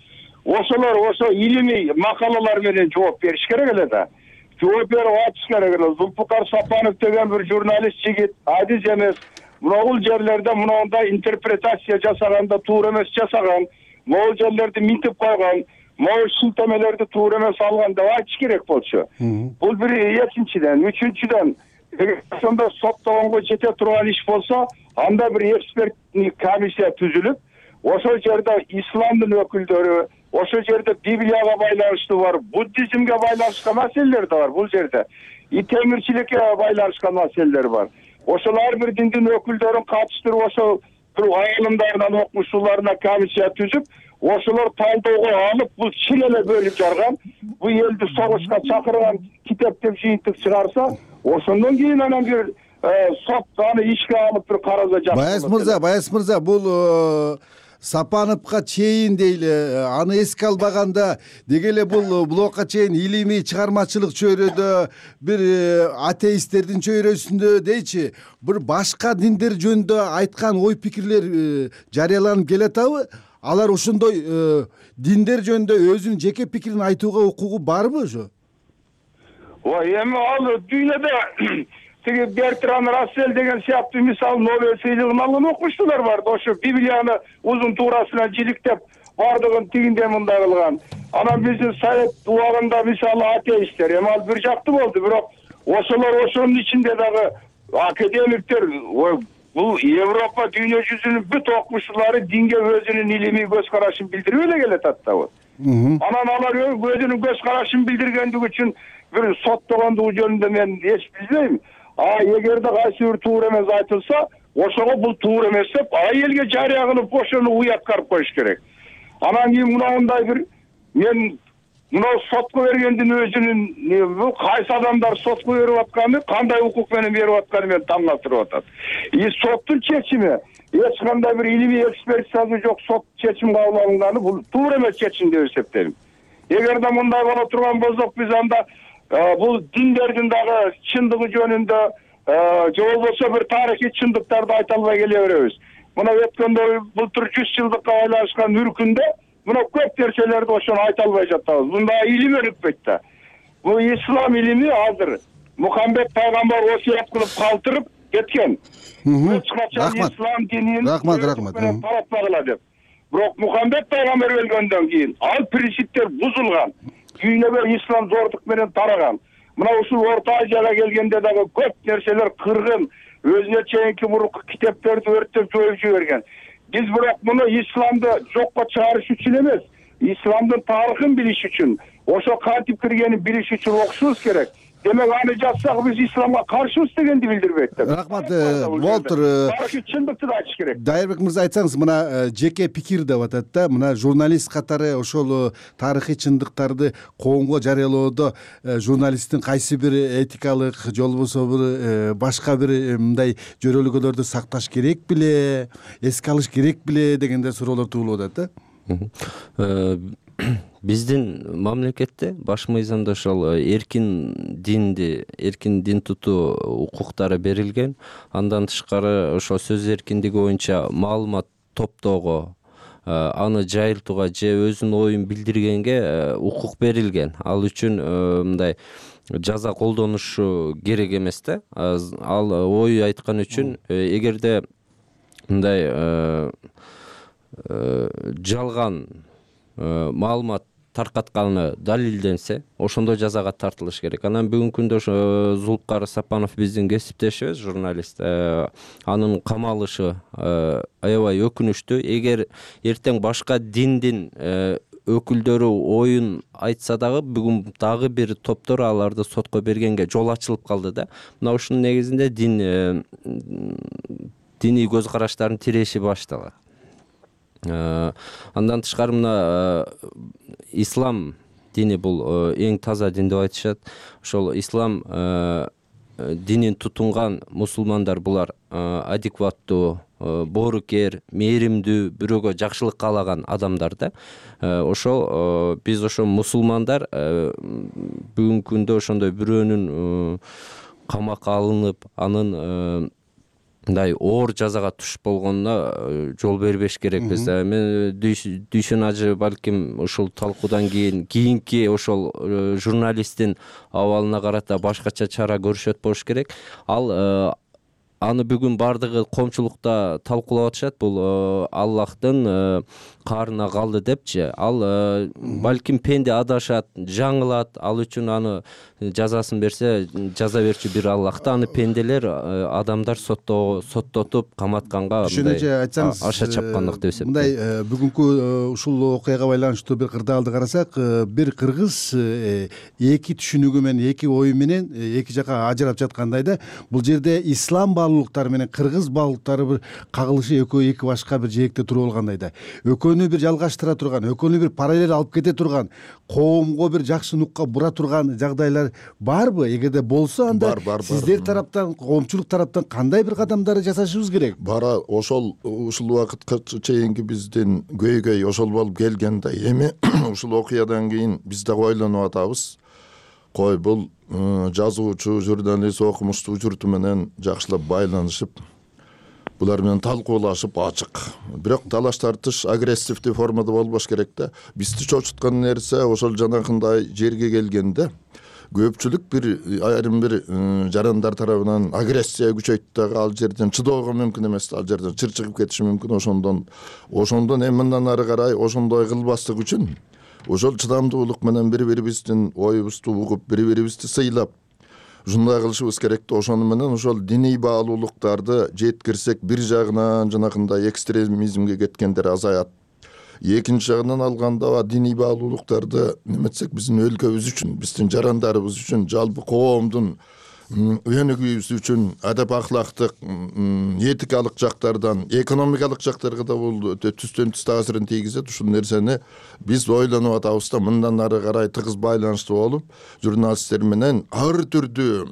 Ошолор ошо илимий макалалар менен жооп бериш керек эле да. Жооп берип атыш керек эле. Зулпукар Сапанов деген бир журналист жигит, адис эмес. Могул жерлерде мындай интерпретация жасаганда туура эмес жасаган, могул жерлерди минтип койгон, могул шилтемелерди туура эмес алган деп айтыш керек болчу. Бул бир экинчиден, үчүнчүдөн, ошондо соттогонго жете турган иш болсо, анда бир эксперттик комиссия түзүлүп, ошол жерде исламдын өкүлдөрү, ошол жерде Библияга байланыштуу бар, буддизмге байланыштуу маселелер да бар бул жерде. И темирчиликке байланышкан маселелер бар. Ошол ар бир диндин өкүлдөрүн катыштырып, ошол бир айылымдарынан окумуштууларына комиссия түзүп, ошолор талоого алып, бул чын эле бөлүп жарган, бул элди согушка чакырган китеп деп жыйынтык чыгарса, ошондон кийин анан бир сот аны ишке алып бир караса жакшы. Баяз мырза, Баяз мырза, бул Сапановго чейин дейли, аны эске албаганда деги эле бул блокко чейин илимий чыгармачылык чөйрөдө, бир атеисттердин чөйрөсүндө дейчи, бир башка диндер жөнүндө айткан ой пикирлер жарыяланып келатабы? Алар ошондой диндер жөнүндө өзүнүн жеке пикирин айтууга укугу барбы ошо? Ой, эми ал дүйнөдө тиги Бертран Рассель деген сыяктуу мисалы Нобель сыйлыгын алган окумуштуулар бар. Ошо Библияны узун туурасынан жиликтеп, бардыгын тигинде мындай кылган. Анан биздин Совет убагында мисалы атеисттер, эми ал бир жактуу болду, бирок ошолор ошонун ичинде дагы академиктер, бул Европа дүйнө жүзүнүн бүт окумуштуулары динге өзүнүн илимий көз карашын билдирип эле келатат да. Анан алар өзүнүн көз карашын билдиргендиги үчүн бир соттогондугу жөнүндө мен эч билбейм. А эгерде кайсы бир туура эмес айтылса, ошого бул туура эмес деп, а элге жарыя кылып ошону уяткарып коюш керек. Анан кийин мындай бир мен мына сотко бергендин өзүнүн бул кайсы адамдар сотко берип атканы, кандай укук менен берип атканы мен таң калтырып атат. И соттун чечими эч кандай бир илимий экспертизасы жок сот чечим кабыл алынганы бул туура эмес чечим деп эсептейм. Эгерде мындай боло турган болсок, биз анда бул диндердин дагы чындыгы жөнүндө же болбосо бир тарыхый чындыктарды айта албай келе беребиз. Мына өткөндө былтыр жүз жылдыкка байланышкан үркүндө мына көп нерселерди ошону айта албай жатабыз. Мында илим өнүкпөйт да. Бул ислам илими азыр Мухаммед пайгамбар осуят кылып калтырып кеткен. Эч качан ислам динин рахмат, рахмат. Таратпагыла деп. Бирок Мухаммед пайгамбар өлгөндөн кийин ал принциптер бузулган. Дүйнөгө ислам зордук менен тараган. Мына ушул Орто Азияга келгенде дагы көп нерселер кыргын, өзүнө чейинки мурунку китептерди өрттөп жоюп жиберген. Биз бирок муну исламды жокко чыгарыш үчүн эмес, исламдын тарыхын билиш үчүн, ошо кантип киргенин билиш үчүн окушубуз керек. Демек аны жазсак биз исламга каршыбыз дегенди билдирбейт деп. Рахмат, болуптур. Тарыхый чындыкты да айтыш керек. Дайырбек мырза, айтсаңыз, мына жеке пикир деп атат да, мына журналист катары ошол тарыхый чындыктарды коомго жарыялоодо журналисттин кайсы бир этикалык же болбосо бир башка бир мындай жөрөлгөлөрдү сакташ керек беле, эске алыш керек беле дегендей суроолор туулуп атат да. биздин мамлекетте баш мыйзамда ошол эркин динди эркин дин тутуу укуктары берилген. Андан тышкары ошо сөз эркиндиги боюнча маалымат топтоого, аны жайылтууга же өзүнүн оюн билдиргенге укук берилген. Ал үчүн мындай жаза колдонушу керек эмес да. Ал ой айткан үчүн эгерде мындай жалган маалымат таркатканы далилденсе, ошондо жазага тартылыш керек. Анан бүгүнкү күндө ошо Зулукар Сапанов биздин кесиптешибиз, журналист. Анын камалышы аябай өкүнүчтүү. Эгер эртең башка диндин өкүлдөрү оюн айтса дагы, бүгүн дагы бир топтор аларды сотко бергенге жол ачылып калды да. Мына ушунун негизинде дин диний көз караштардын тиреши башталат. Андан тышкары мына ислам дини бул эң таза дин деп айтышат. Ошол ислам динин тутунган мусулмандар булар адекваттуу, боорукер, мээримдүү, бирөөгө жакшылык каалаган адамдар да. Ошол биз ошо мусулмандар бүгүнкү күндө ошондой бирөөнүн камакка алынып, анын мындай оор жазага туш болгонуна жол бербеш керекпиз. Мен Дүйшөн ажы балким ушул талкуудан кийин кийинки ошол журналисттин абалына карата башкача чара көрүшөт болуш керек. Ал аны бүгүн бардыгы коомчулукта талкуулап атышат. Бул Аллахтын каарына калды депчи. Ал балким пенде адашат, жаңылат. Ал үчүн аны жазасын берсе, жаза берчү бир Аллах да. Аны пенделер, адамдар соттотуп каматканга мындай аша чапкандык деп эсептейм. Мындай бүгүнкү ушул окуяга байланыштуу бир кырдаалды карасак, бир кыргыз эки түшүнүгү менен, эки ою менен эки жака ажырап жаткандай да. Бул жерде ислам баалуулуктары менен кыргыз баалуулуктары бир кагылышы, экөө эки башка бир жээкте туруп алгандай да. Экөөнү бир жалгаштыра турган, экөөнү бир параллель алып кете турган, коомго бир жакшы нукка бура турган жагдайлар барбы? Эгерде болсо, анда сиздер тараптан, коомчулук тараптан кандай бир кадамдарды жасашыбыз керек? Бара ошол ушул убакытка чейинки биздин көйгөй ошол болуп келген да. Эми ушул окуядан кийин биз дагы ойлонуп атабыз. Кой бул жазуучу, журналист, окумуштуу журту менен жакшылап байланышып, булар менен талкуулашып ачык. Бирок талаш тартыш агрессивдүү формада болбош керек да. Бизди чочуткан нерсе ошол жанакындай жерге келгенде көпчүлүк бир айрым бир жарандар тарабынан агрессия күчөйт дагы, ал жерден чыдоого мүмкүн эмес, ал жерден чыр чыгып кетиши мүмкүн. Ошондон ошондон эми мындан ары карай ошондой кылбаслык үчүн ошол чыдамдуулук менен бири-бирибиздин оюбузду угуп, бири-бирибизди сыйлап ушундай кылышыбыз керек да. Ошону менен ошол диний баалуулуктарды жеткирсек, бир жагынан жанакындай экстремизмге кеткендер азаят. Экинчи жагынан алганда диний баалуулуктарды неметсек, биздин өлкөбүз үчүн, биздин жарандарыбыз үчүн, жалпы коомдун өнүгүүбүз үчүн адап ахлактык, этикалык жактардан, экономикалык жактарга да бул өтө түстөн түз таасирин тийгизет. Ушул нерсени биз ойлонуп атабыз да. Мындан ары карай тыгыз байланыштуу болуп, журналисттер менен ар түрдүү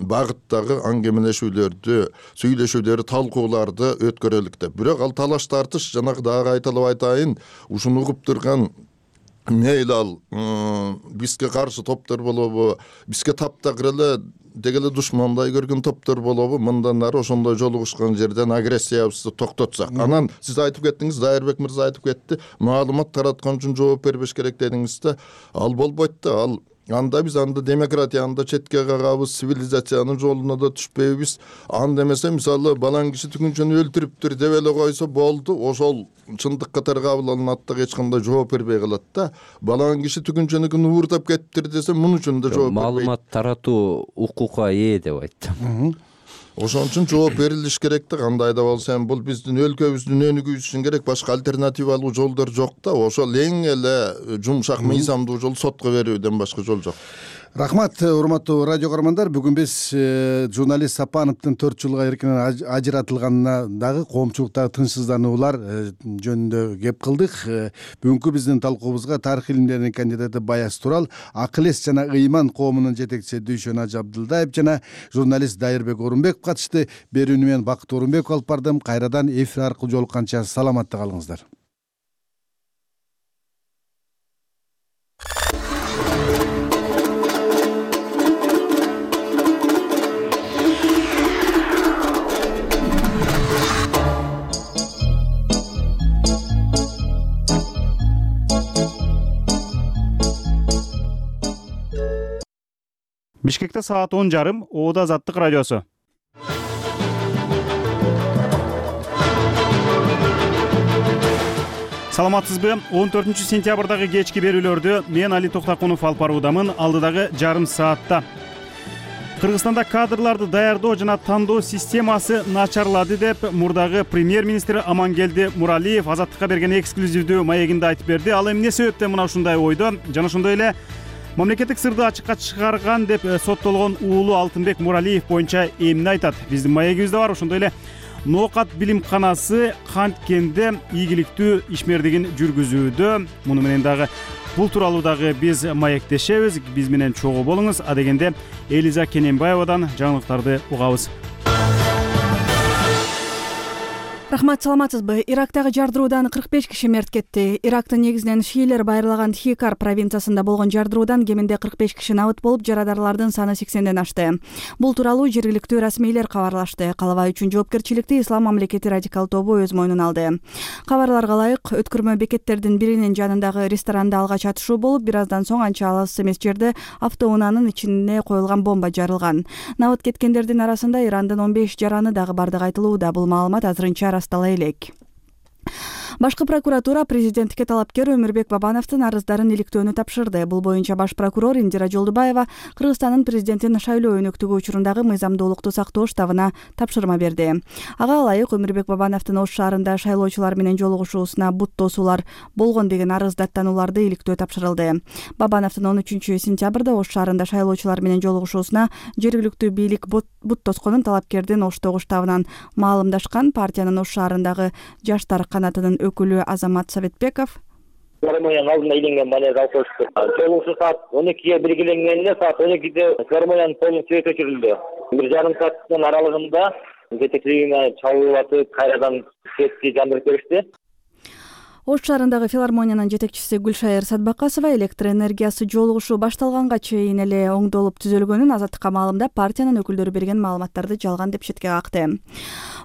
багыттагы аңгемелешүүлөрдү, сүйлөшүүлөрдү, талкууларды өткөрөлүк деп. Бирок ал талаш тартыш, жанагы дагы кайталап айтайын, ушуну угуп турган мейли ал бизге каршы топтор болобу, бизге таптакыр эле дегеле душмандай көргөн топтор болобу, мындан ары ошондой жолугушкан жерден агрессиябызды токтотсак. Анан сиз айтып кеттиңиз, Дайырбек мырза айтып кетти, маалымат тараткан үчүн жооп бербеш керек дедиңиз да. Ал болбойт да. Ал анда биз анда демократияны да четке кагабыз, цивилизациянын жолуна да түшпөйбүз. Анда эмесе, мисалы, балаң киши түгүнчөнү өлтүрүптүр деп эле койсо болду, ошол чындык катары кабыл алынат да, эч кандай жооп бербей калат да. Балаң киши түгүнчөнүкүн уурдап кетиптир десе, мунун үчүн да жооп бербейт. Маалымат таратуу укукка ээ деп айттым. Ошон үчүн жооп берилиш керек да. Кандай да болсо, эми бул биздин өлкөбүздүн өнүгүүсү үчүн керек, башка альтернативалуу жолдор жок да. Ошол эң эле жумшак мыйзамдуу жол сотко берүүдөн башка жол жок. Рахмат, урматтуу радио көрөрмандар. Бүгүн биз журналист Сапановдун төрт жылга эркинен ажыратылганына дагы коомчулуктагы тынчсыздануулар жөнүндө кеп кылдык. Бүгүнкү биздин талкуубузга тарых илимдеринин кандидаты Баяз Турал, акыл эс жана ыйман коомунун жетекчиси Дүйшөн Ажы Абдылдаев жана журналист Дайырбек Орунбеков катышты. Берүүнү мен Бакыт Орунбеков алып бардым. Кайрадан эфир аркылуу жолукканча саламатта калыңыздар. Бишкекте саат он жарым. Оода Азаттык радиосу. Саламатсызбы? он төртүнчү сентябрдагы кечки берүүлөрдү мен Али Токтакунов алып баруудамын. Алдыдагы жарым саатта Кыргызстанда кадрларды даярдоо жана тандоо системасы начарлады деп мурдагы премьер-министр Амангелди Муралиев Азаттыкка берген эксклюзивдүү маегинде айтып берди. Ал эмне себептен мына ушундай ойдо жана ошондой эле мамлекеттик сырды ачыкка чыгарган деп соттолгон уулу Алтынбек Муралиев боюнча эмне айтат? Биздин маегибизде бар. Ошондой эле Ноокат билимканасы Канткенде ийгиликтүү ишмердигин жүргүзүүдө. Муну менен дагы бул тууралуу дагы биз маектешебиз. Биз менен чогуу болуңуз. А дегенде Элиза Кененбаевадан жаңылыктарды угабыз. Рахмат, саламатсызбы? Ирактагы жардыруудан кырк беш киши мерт кетти. Ирактын негизинен шиилер байырлаган Хикар провинциясында болгон жардыруудан кеминде кырк беш киши набыт болуп, жарадарлардын саны сексенден ашты. Бул тууралуу жергиликтүү расмийлер кабарлашты. Калабай үчүн жоопкерчиликти Ислам мамлекети радикал тобу өз мойнуна алды. Кабарларга ылайык, өткөрмө бекеттердин биринин жанындагы ресторанда алгач атышуу болуп, бир аздан соң анча алыс эмес жерде автоунаанын ичине коюлган бомба жарылган. Набыт кеткендердин арасында Ирандын он беш жараны дагы бардыгы айтылууда. Бул маалымат азырынча растала элек. Башкы прокуратура президентке талапкер Өмүрбек Бабановдун арыздарын иликтөөнү тапшырды. Бул боюнча баш прокурор Индира Жолдубаева Кыргызстандын президентин шайлоо өнөктүгү учурундагы мыйзамдуулукту сактоо штабына тапшырма берди. Ага ылайык Өмүрбек Бабановдун Ош шаарында шайлоочулар менен жолугушуусуна бут тосуулар болгон деген арыз даттануларды иликтөө тапшырылды. Бабановдун он үчүнчү сентябрда Ош шаарында шайлоочулар менен жолугушуусуна жергиликтүү бийлик бут тосконун талапкердин Оштогу штабынан маалымдашкан. Партиянын Ош шаарындагы жаштар канатынын өкүлү Азамат Советбеков Филармониянын алдында ийленген бале жалпышты. Жолугушуу саат он экиге белгиленгенде саат он экиде филармониянын полун свет өчүрүлдү. Бир жарым сааттын аралыгында жетекчилигине чалып атып, кайрадан светти жандырып беришти. Ош шаарындагы филармониянын жетекчиси Гүлшайыр Садбакасова электр энергиясы жолугушуу башталганга чейин эле оңдолуп түзөлгөнүн Азаттыкка маалымдап, партиянын өкүлдөрү берген маалыматтарды жалган деп четке какты.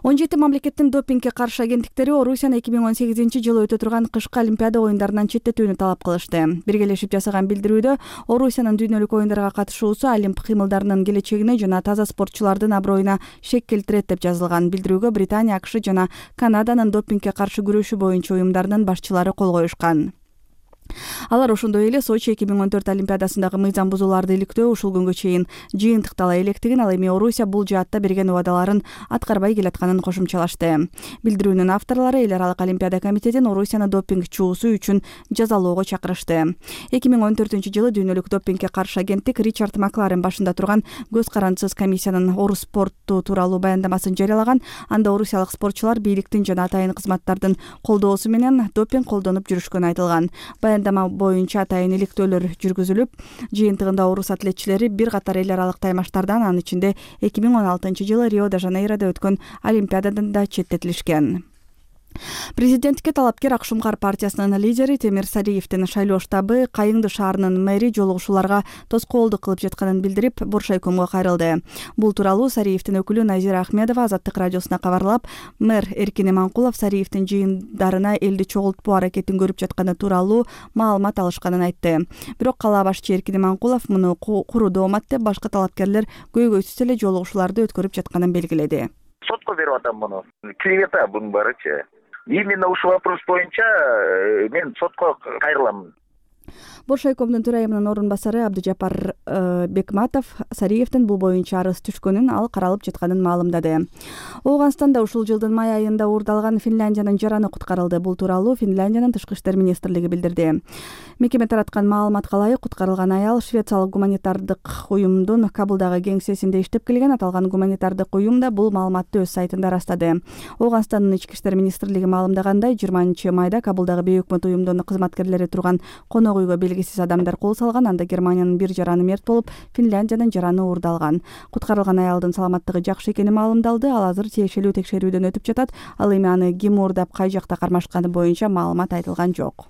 он жети мамлекеттин допингге каршы агенттиктери Орусияны эки миң он сегизинчи жылы өтө турган кышкы Олимпиада оюндарынан четтетүүнү талап кылышты. Биргелешип жасаган билдирүүдө Орусиянын дүйнөлүк оюндарга катышуусу олимп кыймылдарынын келечегине жана таза спортчулардын аброюна шек келтирет деп жазылган. Билдирүүгө Британия, АКШ жана Канаданын допингге каршы күрөшүү боюнча уюмдарынын башчылары кол коюшкан. Алар ошондой эле Сочи эки миң он төрт Олимпиадасындагы мыйзам бузууларды иликтөө ушул күнгө чейин жыйынтыктала электигин, ал эми Орусия бул жаатта берген убадаларын аткарбай келатканын кошумчалашты. Билдирүүнүн авторлору эл аралык Олимпиада комитетин Орусияны допинг чуусу үчүн жазалоого чакырышты. эки миң он төртүнчү жылы дүйнөлүк допингге каршы агенттик Ричард Макларен башында турган көз карандысыз комиссиянын Орус спорту тууралуу баяндамасын жарыялаган. Анда орусиялык спортчулар бийликтин жана атайын кызматтардын колдоосу менен допинг колдонуп жүрүшкөнү айтылган. Баяндама боюнча атайын иликтөөлөр жүргүзүлүп, жыйынтыгында орус атлетчилери бир катар эл аралык таймаштардан, анын ичинде эки миң он алтынчы жылы Рио-де-Жанейрода өткөн Олимпиададан да четтетилишкен. Президентке талапкер Акшумкар партиясынын лидери Темир Сариевдин шайлоо штабы Кайыңды шаарынын мэри жолугушууларга тоскоолдук кылып жатканын билдирип, Боршайкомго кайрылды. Бул тууралуу Сариевдин өкүлү Назира Ахмедова Азаттык радиосуна кабарлап, мэр Эркин Иманкулов Сариевдин жыйындарына элди чогултпоо аракетин көрүп жатканы тууралуу маалымат алышканын айтты. Бирок кала башчы Эркин Иманкулов муну куру доомат деп, башка талапкерлер көйгөйсүз эле жолугушууларды өткөрүп жатканын белгиледи. Сотко берип атам муну. Клевета бунун баарычы. Именно ушул вопрос боюнча мен сотко кайрылам. Боршайкомдун төрайымынын орун басары Абдыжапар Бекматов Сариевдин бул боюнча арыз түшкөнүн, ал каралып жатканын маалымдады. Ооганстанда ушул жылдын май айында уурдалган Финляндиянын жараны куткарылды. Бул тууралуу Финляндиянын тышкы иштер министрлиги билдирди. Мекеме тараткан маалыматка ылайык, куткарылган аял швециялык гуманитардык уюмдун Кабулдагы кеңсесинде иштеп келген. Аталган гуманитардык уюм да бул маалыматты өз сайтында растады. Ооганстандын ички иштер министрлиги маалымдагандай, жыйырманчы майда Кабулдагы бейөкмөт уюмдун кызматкерлери турган конок үйгө белгисиз адамдар кол салган. Анда Германиянын бир жараны мерт болуп, Финляндиянын жараны уурдалган. Куткарылган аялдын саламаттыгы жакшы экени маалымдалды. Ал азыр тиешелүү текшерүүдөн өтүп жатат. Ал эми аны ким уурдап, кай жакта кармашканы боюнча маалымат айтылган жок.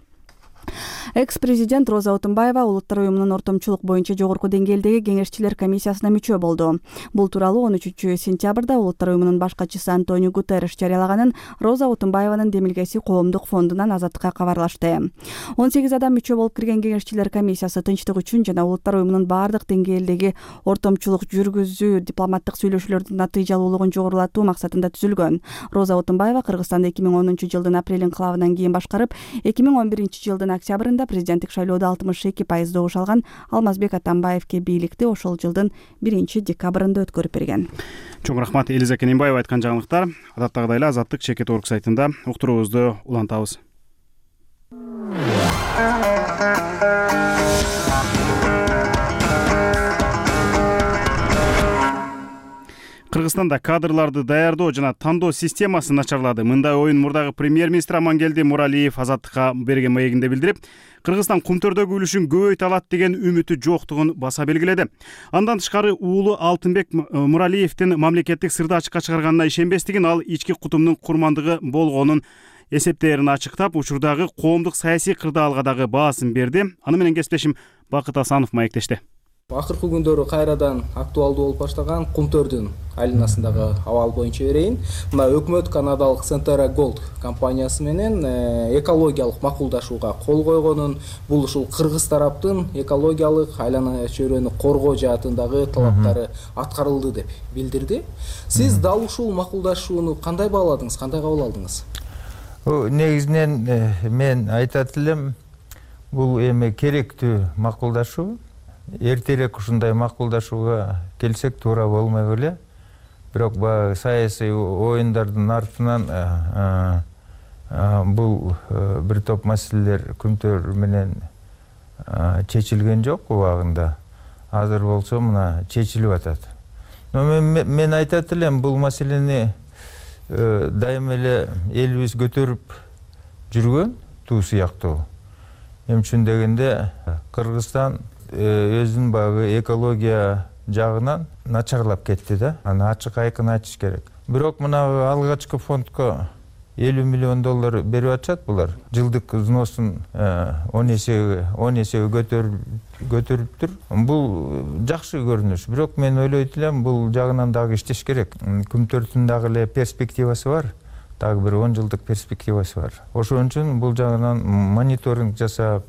Экс президент Роза Отунбаева Улуттар уюмунун ортомчулук боюнча жогорку деңгээлдеги кеңешчилер комиссиясына мүчө болду. Бул тууралуу он үчүнчү сентябрда Улуттар уюмунун баш катчысы Антонио Гутерриш жарыялаганын Роза Отунбаеванын демилгеси коомдук фондунан Азаттыкка кабарлашты. он сегиз адам мүчө болуп кирген кеңешчилер комиссиясы тынчтык үчүн жана Улуттар уюмунун баардык деңгээлдеги ортомчулук жүргүзүү, дипломаттык сүйлөшүүлөрдүн натыйжалуулугун жогорулатуу максатында түзүлгөн. Роза Отунбаева Кыргызстанды эки миң онунчу жылдын апрель инкылабынан кийин башкарып, эки миң он биринчи жылдын октябрында президенттик шайлоодо алтымыш эки пайыз добуш алган Алмазбек Атамбаевке бийликти ошол жылдын биринчи декабрында өткөрүп берген. Чоң рахмат Элиза Кененбаева айткан жаңылыктар. Адаттагыдай эле Азаттык чекит орг сайтында уктуруубузду улантабыз. Кыргызстанда кадрларды даярдоо жана тандоо системасы начарлады. Мындай оюн мурдагы премьер-министр Амангелди Муралиев Азаттыкка берген маегинде билдирип, Кыргызстан кумтөрдөгү үлүшүн көбөйтө алат деген үмүтү жоктугун баса белгиледи. Андан тышкары уулу Алтынбек Муралиевдин мамлекеттик сырды ачыкка чыгарганына ишенбестигин, ал ички кутумдун курмандыгы болгонун эсептерин ачыктап, учурдагы коомдук саясий кырдаалга дагы баасын берди. Аны менен кесиптешим Бакыт Асанов маектешти. Акыркы күндөрү кайрадан актуалдуу болуп баштаган Кумтөрдүн айланасындагы абал боюнча берейин. Мына өкмөт канадалык Centera Gold компаниясы менен экологиялык макулдашууга кол койгонун, бул ушул кыргыз тараптын экологиялык айлана чөйрөнү коргоо жаатындагы талаптары аткарылды деп билдирди. Сиз дал ушул макулдашууну кандай бааладыңыз, кандай кабыл алдыңыз? Негизинен мен айтат элем, бул эми керектүү макулдашуу. Эртерээк ушундай макулдашууга келсек туура болмой эле. Бирок баягы саясий оюндардын артынан бул бир топ маселелер Күмтөр менен чечилген жок убагында. Азыр болсо мына чечилип атат. Но мен, мен айтат элем, бул маселени дайыма эле элибиз көтөрүп жүргөн туу сыяктуу. Эмне үчүн дегенде Кыргызстан өзүнүн баягы экология жагынан начарлап кетти да. Аны ачык айкын айтыш керек. Бирок мына алгачкы фондко элүү миллион доллар берип атышат булар. Жылдык взносун он эсеге он эсеге көтөрүп көтөрүптүр. Бул жакшы көрүнүш. Бирок мен ойлойт элем, бул жагынан дагы иштеш керек. Күмтөрдүн дагы эле перспективасы бар. Дагы бир он жылдык перспективасы бар. Ошон үчүн бул жагынан мониторинг жасап,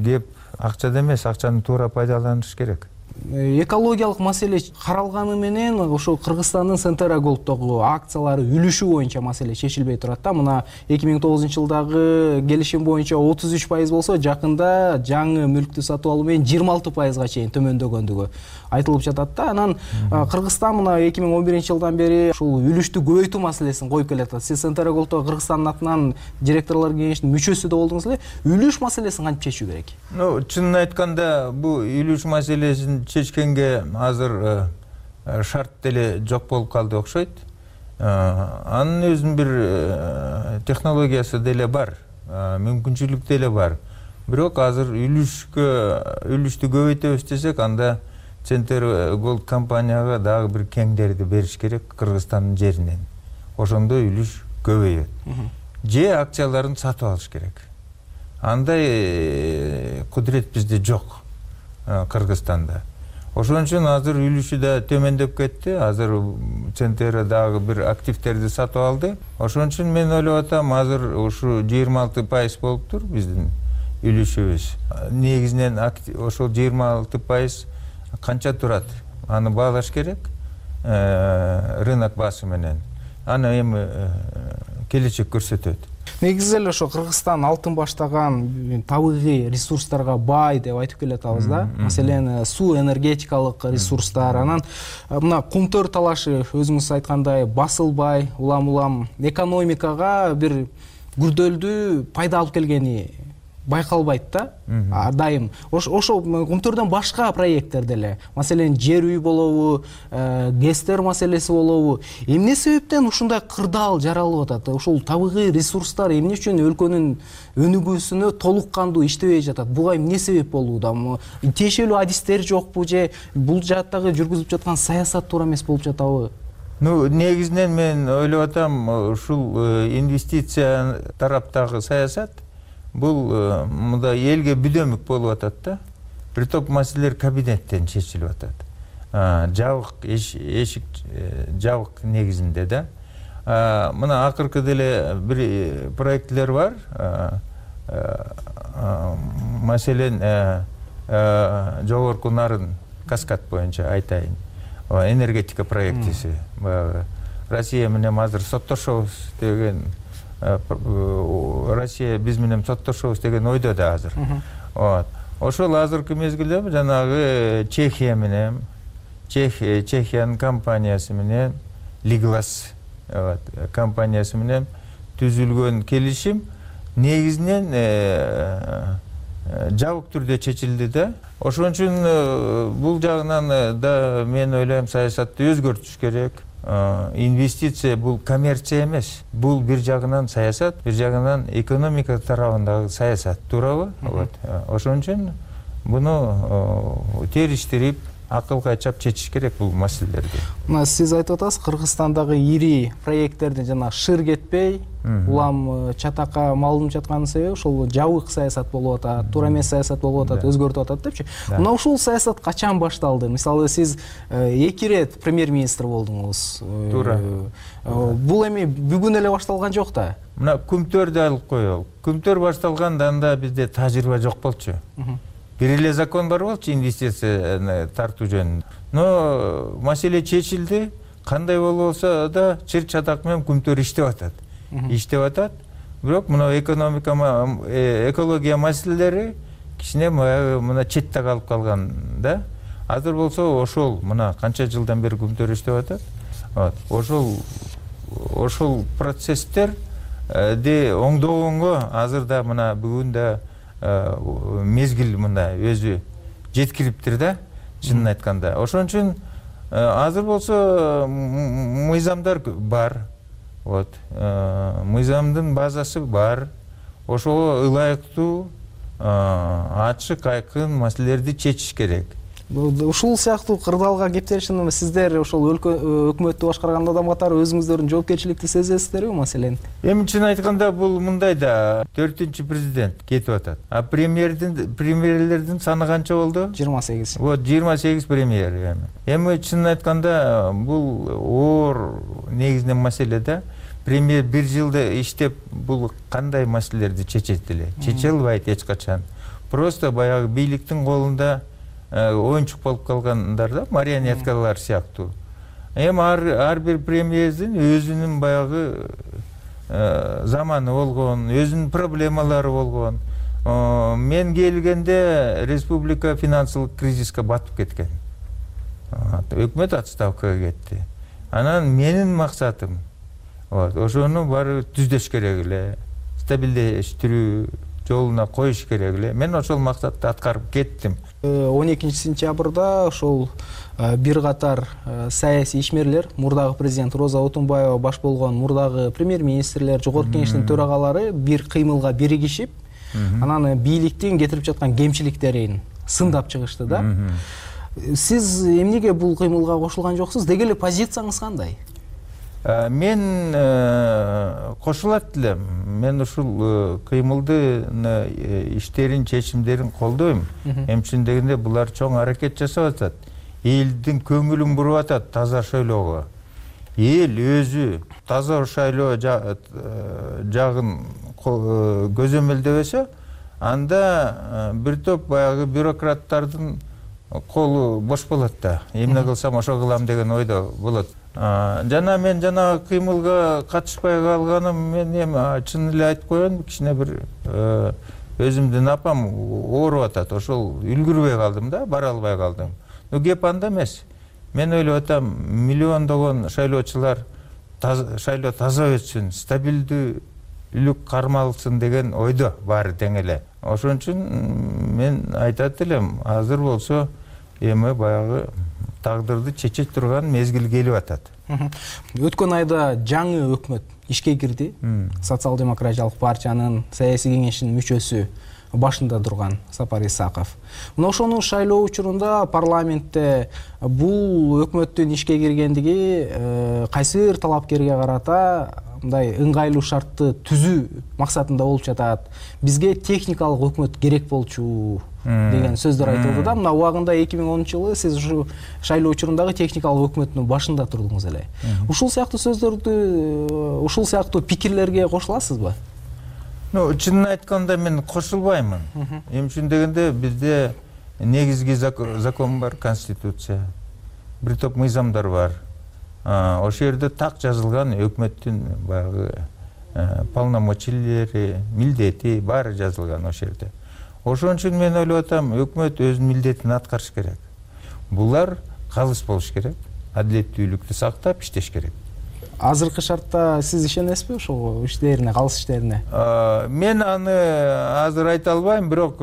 кеп акчада эмес, акчаны туура пайдаланыш керек. Экологиялык маселе каралганы менен ошо Кыргызстандын Centera Gold'догу акциялары үлүшү боюнча маселе чечилбей турат да. Мына эки миң тогузунчу жылдагы келишим боюнча отуз үч пайыз болсо, жакында жаңы мүлктү сатып алуу менен жыйырма алты пайызга чейин төмөндөгөндүгү айтылып жатат да. Анан Кыргызстан мына эки миң он биринчи жылдан бери ушул үлүштү көбөйтүү маселесин коюп келатат. Сиз Centera Gold'до Кыргызстандын атынан директорлор кеңешинин мүчөсү да болдуңуз эле. Үлүш маселесин кантип чечүү керек? Ну, чынын айтканда, бул үлүш маселесин чечкенге азыр шарт деле жок болуп калды окшойт. Анын өзүнүн бир технологиясы деле бар, мүмкүнчүлүк деле бар. Бирок азыр үлүшкө үлүштү көбөйтөбүз десек, анда Centera Gold компанияга дагы бир кеңдерди бериш керек Кыргызстандын жеринен. Ошондо үлүш көбөйөт. Же акцияларын сатып алыш керек. Андай кудурет бизде жок Кыргызстанда. Ошон үчүн азыр үлүшү да төмөндөп кетти. Азыр Centera дагы бир активтерди сатып алды. Ошон үчүн мен ойлоп атам, азыр ушу жыйырма алты пайыз болуптур биздин үлүшүбүз. Негизинен ошол жыйырма алты пайыз канча турат? Аны баалаш керек рынок баасы менен. Аны эми келечек көрсөтөт. Негизи эле ошо Кыргызстан алтын баштаган табигый ресурстарга бай деп айтып келатабыз да. Маселен, суу энергетикалык ресурстар, анан мына Кумтөр талашы өзүңүз айткандай басылбай, улам-улам экономикага бир күрдөлдүү пайда алып келгени байкалбайт да. Дайым ошо Кумтөрдөн башка проекттер деле, маселен жер үй болобу, гэстер маселеси болобу, эмне себептен ушундай кырдаал жаралып атат? Ошол табигый ресурстар эмне үчүн өлкөнүн өнүгүүсүнө толук кандуу иштебей жатат? Буга эмне себеп болууда? Тиешелүү адистер жокпу же бул жааттагы жүргүзүп жаткан саясат туура эмес болуп жатабы? Ну, негизинен мен ойлоп атам, ушул инвестиция тараптагы саясат бул мында элге бүдөмүк болуп атат да. Бир топ маселелер кабинеттен чечилип атат. Жабык эшик жабык негизинде да. Мына акыркы деле бир проектлер бар. Маселен жогорку нарын каскад боюнча айтайын. Энергетика проектиси. Россия менен азыр соттошобуз деген, Россия биз менен соттошобуз деген ойдо да азыр. Ошол азыркы мезгилде жанагы Чехия менен, Чехиянын компаниясы менен, Лиглас компаниясы менен түзүлгөн келишим негизинен жабык түрдө чечилди да. Ошон үчүн бул жагынан да мен ойлойм саясатты өзгөртүш керек. Инвестиция бул коммерция эмес. Бул бир жагынан саясат, бир жагынан экономика тарабындагы саясат, туурабы? Ошон үчүн буну териштирип, акыл кайчап чечиш керек бул маселелерди. Мына сиз айтып атасыз, Кыргызстандагы ири проекттердин жана шыр кетпей, улам чатакка малынып жатканын себеби ошол жабык саясат болуп атат, туура эмес саясат болуп атат, өзгөртүп атат депчи. Мына ушул саясат качан башталды? Мисалы сиз эки ирет премьер-министр болдуңуз. Туура. Бул эми бүгүн эле башталган жок да. Мына күмтөрдү алып коелу. Күмтөр башталганда анда бизде тажрыйба жок болчу. Бир эле закон бар болчу инвестицияны тартуу жөнүндө. Но маселе чечилди. Кандай болсо да чыр чатак менен күмтөр иштеп атат. Иштеп атат. Бирок мына экономика, экология маселелери кичине мына четте калып калган да. Азыр болсо ошол мына канча жылдан бери күмтөр иштеп атат. Ошол ошол процесстер де оңдогонго азыр да мына бүгүн да мезгил мында өзү жеткириптир да, чынын айтканда. Ошон үчүн азыр болсо мыйзамдар бар. Вот. Мыйзамдын базасы бар. Ошого ылайыктуу, ачык, айкын маселелерди чечиш керек. Ушул сыяктуу кырдаалга кептелишин сиздер ошол өкмөттү башкарган адам катары өзүңүздөрдүн жоопкерчиликти сезесиздерби маселен? Эми чын айтканда бул мындай да, төртүнчү президент кетип атат. А премьердин премьерлердин саны канча болду? жыйырма сегиз. Вот жыйырма сегиз премьер эми. Эми чын айтканда бул оор негизинен маселе да. Премьер бир жылда иштеп бул кандай маселелерди чечет эле? Чече албайт эч качан. Просто баягы бийликтин колунда оюнчук болуп калгандар да, марионеткалар сыяктуу. Эми ар бир премьердин өзүнүн баягы заманы болгон, өзүнүн проблемалары болгон. Мен келгенде республика финансылык кризиске батып кеткен. Өкмөт отставкага кетти. Анан менин максатым ошону баары түздөш керек эле, стабилдештирүү жолуна коюш керек эле. Мен ошол максатты аткарып кеттим. он экинчи сентябрда ошол бир катар саясий ишмерлер, мурдагы президент Роза Отунбаева баш болгон мурдагы премьер-министрлер, жогорку кеңештин төрагалары бир кыймылга биригишип, анан бийликтин кетирип жаткан кемчиликтерин сындап чыгышты да. Сиз эмнеге бул кыймылга кошулган жоксуз? Деги эле позицияңыз кандай? Мен кошулат элем. Мен ушул кыймылдын иштерин, чечимдерин колдойм. Эмчин дегенде булар чоң аракет жасап атат. Элдин көңүлүн буруп атат таза шайлоого. Эл өзү таза шайлоо жагын көзөмөлдөбөсө, анда бир топ баягы бюрократтардын колу бош болот да. Эмне кылсам ошо кылам деген ойдо болот. Жана мен жана кыймылга катышпай калганым, мен эми чын эле айтып коеюн, кичине бир өзүмдүн апам ооруп атат. Ошол үлгүрбөй калдым да, бара албай калдым. Но кеп анда эмес. Мен ойлоп атам, миллиондогон шайлоочулар шайлоо таза өтсүн, стабилдүүлүк кармалсын деген ойдо баары тең эле. Ошон үчүн мен айтат элем, азыр болсо эми баягы тагдырды чече турган мезгил келип атат. Өткөн айда жаңы өкмөт ишке кирди. Социал-демократиялык партиянын саясий кеңешинин мүчөсү башында турган Сапар Исаков. Мына ошонун шайлоо учурунда парламентте бул өкмөттүн ишке киргендиги кайсы бир талапкерге карата мындай ыңгайлуу шартты түзүү максатында болуп жатат. Бизге техникалык өкмөт керек болчу деген сөздөр айтылды да. Мына убагында эки миң онунчу жылы сиз ушу шайлоо учурундагы техникалык өкмөттүн башында турдуңуз эле. Ушул сыяктуу сөздөрдү, ушул сыяктуу пикирлерге кошуласызбы? Ну, чынын айтканда мен кошулбаймын. Эмне үчүн дегенде бизде негизги закон бар, конституция. Бир топ мыйзамдар бар. Ошол жерде так жазылган өкмөттүн баягы полномочиялери, милдети баары жазылган ошол жерде. Ошон үчүн мен ойлоп атам, өкмөт өзүнүн милдетин аткарыш керек. Булар калыс болуш керек, адилеттүүлүктү сактап иштеш керек. Азыркы шартта сиз ишенесизби ошол иштерине, калыс иштерине? Мен аны азыр айта албайм, бирок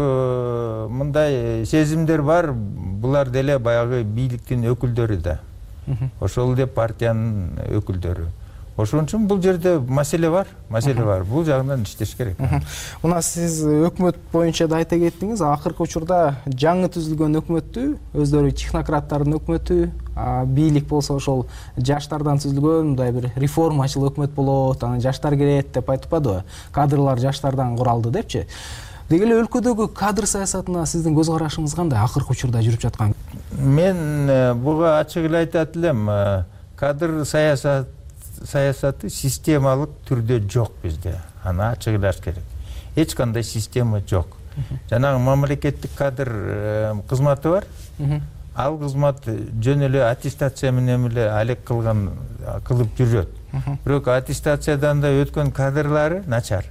мындай сезимдер бар. Булар деле баягы бийликтин өкүлдөрү да. Ошол эле партиянын өкүлдөрү. Ошон үчүн бул жерде маселе бар, маселе бар. Бул жагынан иштеш керек. Мына сиз өкмөт боюнча да айта кеттиңиз, акыркы учурда жаңы түзүлгөн өкмөттү, өздөрү технократтардын өкмөтү, бийлик болсо ошол жаштардан түзүлгөн мындай бир реформачыл өкмөт болот, анан жаштар кирет деп айтпадыбы? Кадрлар жаштардан куралды депчи. Деги эле өлкөдөгү кадр саясатына сиздин көз карашыңыз кандай акыркы учурда жүрүп жаткан? Мен буга ачык эле айтат элем, кадр саясат саясаты системалык түрдө жок бизде. Аны ачык эле айтыш керек. Эч кандай система жок. Жанагы мамлекеттик кадр кызматы бар. Ал кызмат жөн эле аттестация менен эле алек кылган кылып жүрөт. Бирок аттестациядан да өткөн кадрлары начар.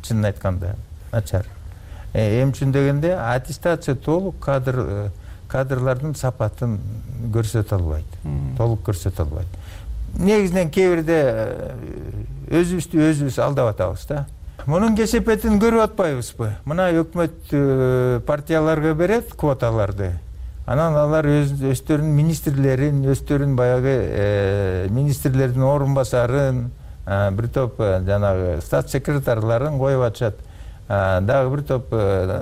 Чынын айтканда, начар. Эмне үчүн дегенде аттестация толук кадр кадрлардын сапатын көрсөтө албайт. Толук көрсөтө албайт. Негизинен кээ бирде өзүбүздү өзүбүз алдап атабыз да. Мунун кесепетин көрүп атпайбызбы? Мына өкмөт партияларга берет квоталарды. Анан алар өздөрүнүн министрлерин, өздөрүнүн баягы министрлердин орун басарын, бир топ жанагы стат секретарларын коюп атышат. Дагы бир топ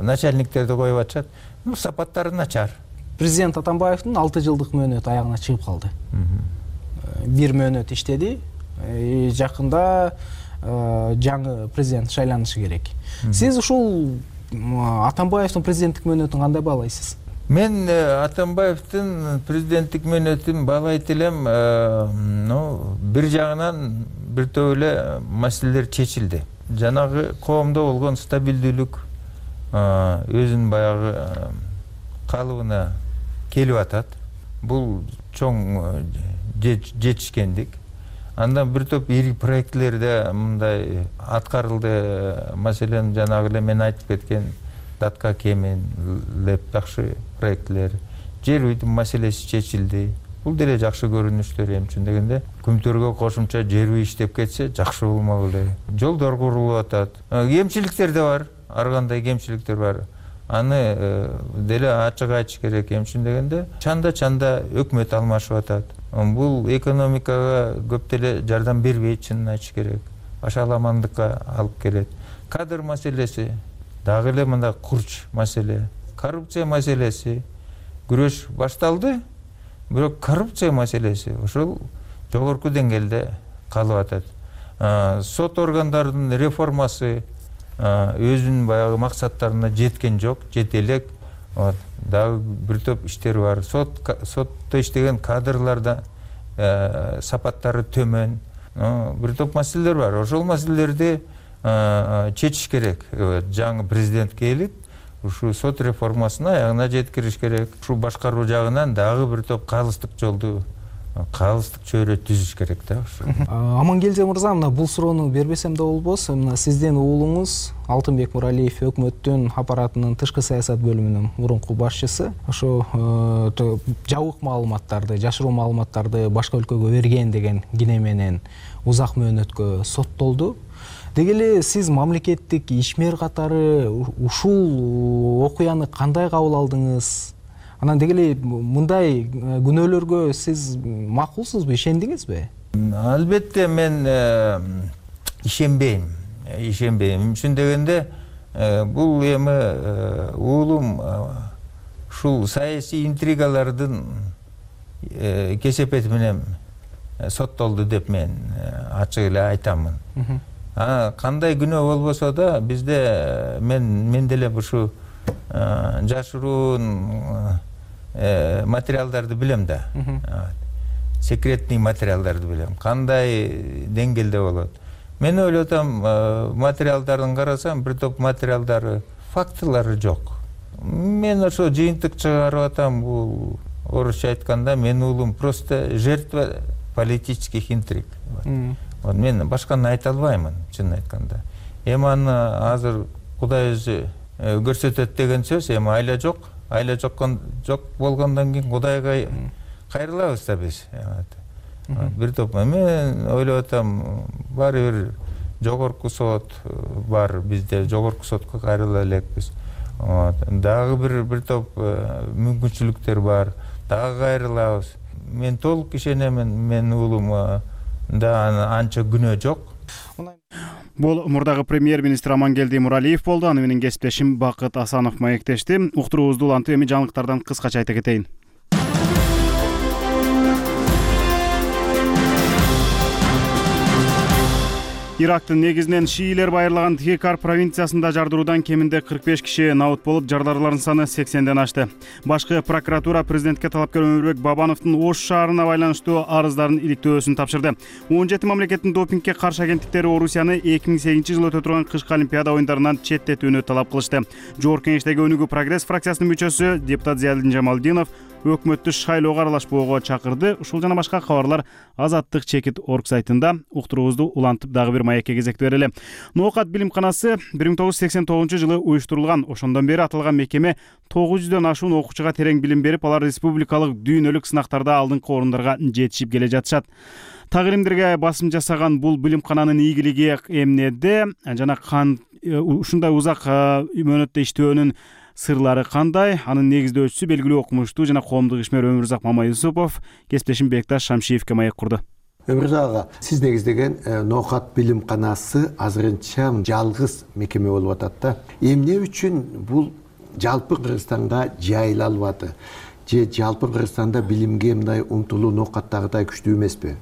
начальниктерди коюп атышат. Ну, сапаттары начар. Президент Атамбаевдин алты жылдык мөөнөтү аягына чыгып калды. Бир мөөнөт иштеди. Жакында жаңы президент шайланышы керек. Сиз ушул Атамбаевдин президенттик мөөнөтүн кандай баалайсыз? Мен Атамбаевдин президенттик мөөнөтүн баалайт элем, ну, бир жагынан бир топ эле маселелер чечилди. Жанагы коомдо болгон стабилдүүлүк өзүнүн баягы калыбына келип атат. Бул чоң жетишкендик. Андан бир топ ири проектлерде мындай аткарылды. Маселен, жанагы эле мен айтып кеткен Датка Кемен, Леп жакшы проектлер. Жер үйдүн маселеси чечилди. Бул деле жакшы көрүнүштөр. Эмне үчүн дегенде, Күмтөргө кошумча жер үй иштеп кетсе жакшы болмок эле. Жолдор курулуп атат. Кемчиликтер да бар, ар кандай кемчиликтер бар. Аны деле ачык айтыш керек. Эмне үчүн дегенде, чанда-чанда өкмөт алмашып атат. Бул экономикага көп деле жардам бербейт, чынын айтыш керек. Башаламандыкка алып келет. Кадр маселеси, дагы эле мындай курч маселе, коррупция маселеси, күрөш башталды, бирок коррупция маселеси ошол жогорку деңгээлде калып атат. Сот органдарынын реформасы өзүнүн баягы максаттарына жеткен жок, жете элек. Дагы бир топ иштер бар. Сот сотто иштеген кадрларда сапаттары төмөн. Бир топ маселелер бар. Ошол маселелерди чечиш керек. Жаңы президент келип, ушу сот реформасына аягына жеткириш керек. Ушу башкаруу жагынан дагы бир топ калыстык жолду, калыстык чөйрө түзүш керек да. Амангелди мырза, мына бул суроону бербесем да болбос. Мына сиздин уулуңуз Алтынбек Муралиев өкмөттүн аппаратынын тышкы саясат бөлүмүнүн мурунку башчысы. Ошо жабык маалыматтарды, жашыруу маалыматтарды башка өлкөгө берген деген кине менен узак мөөнөткө соттолду. Деги эле сиз мамлекеттик ишмер катары ушул окуяны кандай кабыл алдыңыз? Анан деги эле мындай күнөөлөргө сиз макулсузбу, ишендиңизби? Албетте мен ишенбейм. Ишенбейм. Эмне үчүн дегенде, бул эми уулум ушул саясий интригалардын кесепети менен соттолду деп мен ачык эле айтамын. Кандай күнөө болбосо да бизде мен мен деле ушу жашыруун материалдарды билем да. Секретный материалдарды билем. Кандай деңгээлде болот. Мен ойлотам, материалдарын карасам, бир топ материалдары, фактылары жок. Мен ошо жыйынтык чыгарып атам, бул орусча айтканда мен уулум просто жертва политических интриг. Вот мен башканы айта албаймын, чынын айтканда. Эми аны азыр Кудай өзү көрсөтөт деген сөз, эми айла жок, айла жоккон жок болгондон кийин Кудайга кайрылабыз да биз. Бир топ мен ойлоп атам, баары бир жогорку сот бар, бизде жогорку сотко кайрыла элекпиз. Дагы бир бир топ мүмкүнчүлүктөр бар, дагы кайрылабыз. Мен толук ишенемин, мен уулум да анча күнөө жок. Бул мурдагы премьер-министр Амангелди Муралиев болду. Аны менен кесиптешим Бакыт Асанов маектешти. Уктуруубузду улантып, эми жаңылыктардан кыскача айта кетейин. Ирактын негизинен шиилер байырлаган Тхекар провинциясында жардыруудан кеминде кырк беш киши набыт болуп, жардарлардын саны сексенден ашты. Башкы прокуратура президентке талапкер Өмүрбек Бабановдун Ош шаарына байланыштуу арыздарын иликтөөсүн тапшырды. он жети мамлекеттин допингге каршы агенттиктери Орусияны эки миң сегизинчи жылы өтө турган кышкы Олимпиада оюндарынан четтетүүнү талап кылышты. Жогорку кеңештеги өнүгүү прогресс фракциясынын мүчөсү депутат Зиялдин Жамалдинов өкмөттү шайлоого аралашпоого чакырды. Ушул жана башка кабарлар Азаттык чекит орг сайтында. Уктуруубузду улантып дагы бир маекке кезек берели. Ноокат билимканасы бир миң тогуз жүз сексен тогузунчу жылы уюштурулган. Ошондон бери аталган мекеме тогуз жүздөн ашуун окуучуга терең билим берип, алар республикалык дүйнөлүк сынактарда алдыңкы орундарга жетишип келе жатышат. Тагиримдерге басым жасаган бул билимкананын ийгилиги эмнеде жана кан ушундай узак мөөнөттө иштөөнүн сырлары кандай? Анын негиздөөчүсү белгилүү окумуштуу жана коомдук ишмер Өмүрзак Мамайюсупов кесиптешим Бекташ Шамшиевке маек курду. Өмүрзак ага, сиз негиздеген Ноокат билимканасы азырынча жалгыз мекеме болуп атат да. Эмне үчүн бул жалпы Кыргызстанга жайыла албады? Же жалпы Кыргызстанда билимге мындай умтулуу Ноокаттагыдай күчтүү эмеспи?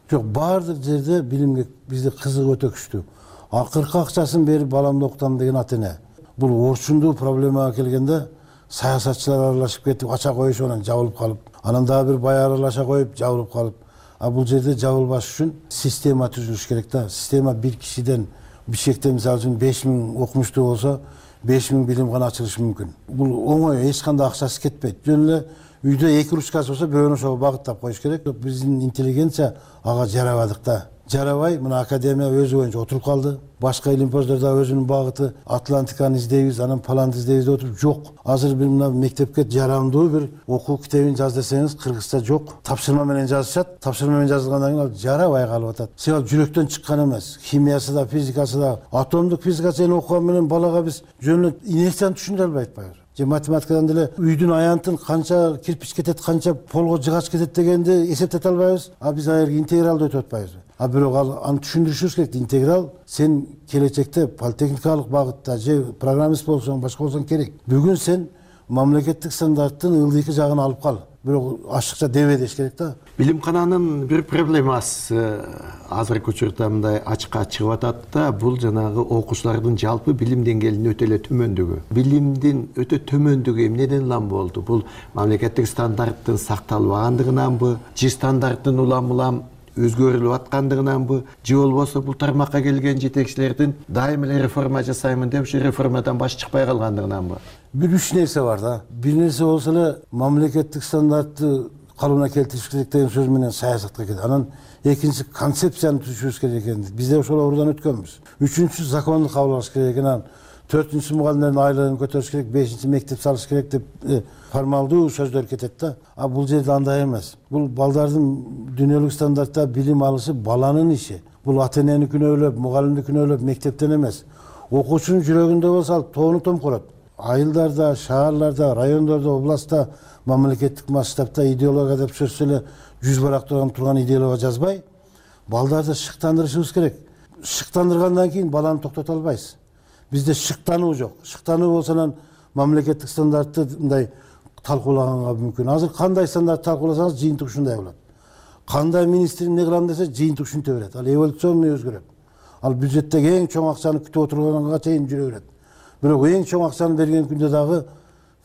Жок, баардык жерде билимге бизде кызык өтө күчтүү. Акыркы акчасын берип баламды окутам деген ата эне. Бул орчундуу проблемага келгенде саясатчылар аралашып кетип ача коюшуп анан жабылып калып, анан дагы бир бай аралаша коюп жабылып калып. А бул жерде жабылбаш үчүн система түзүлүш керек да. Система бир кишиден Бишкекте мисалы үчүн беш миң окумуштуу болсо, беш миң билимкана ачылышы мүмкүн. Бул оңой, эч кандай акчасы кетпейт. Жөн эле үйдө эки ручкасы болсо, бирөөнү ошого багыттап коюш керек. Биздин интеллигенция ага жарабадык да. Жарабай, мына академия өзү боюнча отуруп калды. Башка илимпоздордо өзүнүн багыты Атлантиканы издейбиз, анан Паланды издейбиз деп отуруп жок. Азыр бир мына мектепке жарамдуу бир окуу китебин жаз десеңиз, кыргызча жок. Тапшырма менен жазышат. Тапшырма менен жазылгандан кийин ал жарабай калып атат. Себеби жүрөктөн чыккан эмес. Химиясы да, физикасы да, атомдук физикасы окуган менен балага биз жөн эле инерцияны түшүндүрө албайт атпайбы? Же математикадан деле үйдүн аянтын канча кирпич кетет, канча полго жыгач кетет дегенди эсептете албайбыз. А биз аерге интегралды өтүп атпайбызбы? А бирок ал аны түшүндүрүшүбүз керек. Интеграл сен келечекте политехникалык багытта же программист болсоң, башка болсоң керек. Бүгүн сен мамлекеттик стандарттын ылдыйкы жагын алып кал. Бирок ашыкча дебе деш керек да. Билимкананын бир проблемасы азыркы учурда мындай ачыкка чыгып атат да, бул жанагы окуучулардын жалпы билим деңгээлинин өтө эле төмөндүгү. Билимдин өтө төмөндүгү эмнеден улам болду? Бул мамлекеттик стандарттын сакталбагандыгынанбы, же стандарттын улам улам өзгөрүлүп аткандыгынанбы, же болбосо бул тармакка келген жетекчилердин дайым эле реформа жасаймын деп ушу реформадан баш чыкпай калгандыгынанбы? Бир үч нерсе бар да. Бир нерсе болсо эле мамлекеттик стандартты калыбына келтириш керек деген сөз менен саясатка кетет. Анан экинчиси концепцияны түзүшүбүз керек экен. Биз да ошол ордон өткөнбүз. Үчүнчүсү законду кабыл алыш керек экен. Анан төртүнчүсү мугалимдердин айлыгын көтөрүш керек, бешинчи мектеп салыш керек деп формалдуу сөздөр кетет да. А бул жерде андай эмес. Бул балдардын дүйнөлүк стандартта билим алышы баланын иши. Бул ата энени күнөөлөп, мугалимди күнөөлөп мектептен эмес. Окуучунун жүрөгүндө болсо ал тоону томкорот. Айылдарда, шаарларда, райондордо, областта мамлекеттик масштабта идеология деп сөзсөз эле жүз барак турган турган идеология жазбай, балдарды шыктандырышыбыз керек. Шыктандыргандан кийин баланы токтото албайсыз. Бизде шыктануу жок. Шыктануу болсо анан мамлекеттик стандартты мындай талкуулаганга мүмкүн. Азыр кандай стандарт талкууласаңыз жыйынтык ушундай болот. кандай министр эмне кылам десе жыйынтык ушинте берет. Ал эволюционный өзгөрөт. Ал бюджеттеги эң чоң акчаны күтүп отурганга чейин жүрө берет. Бирок эң чоң акчаны берген күндө дагы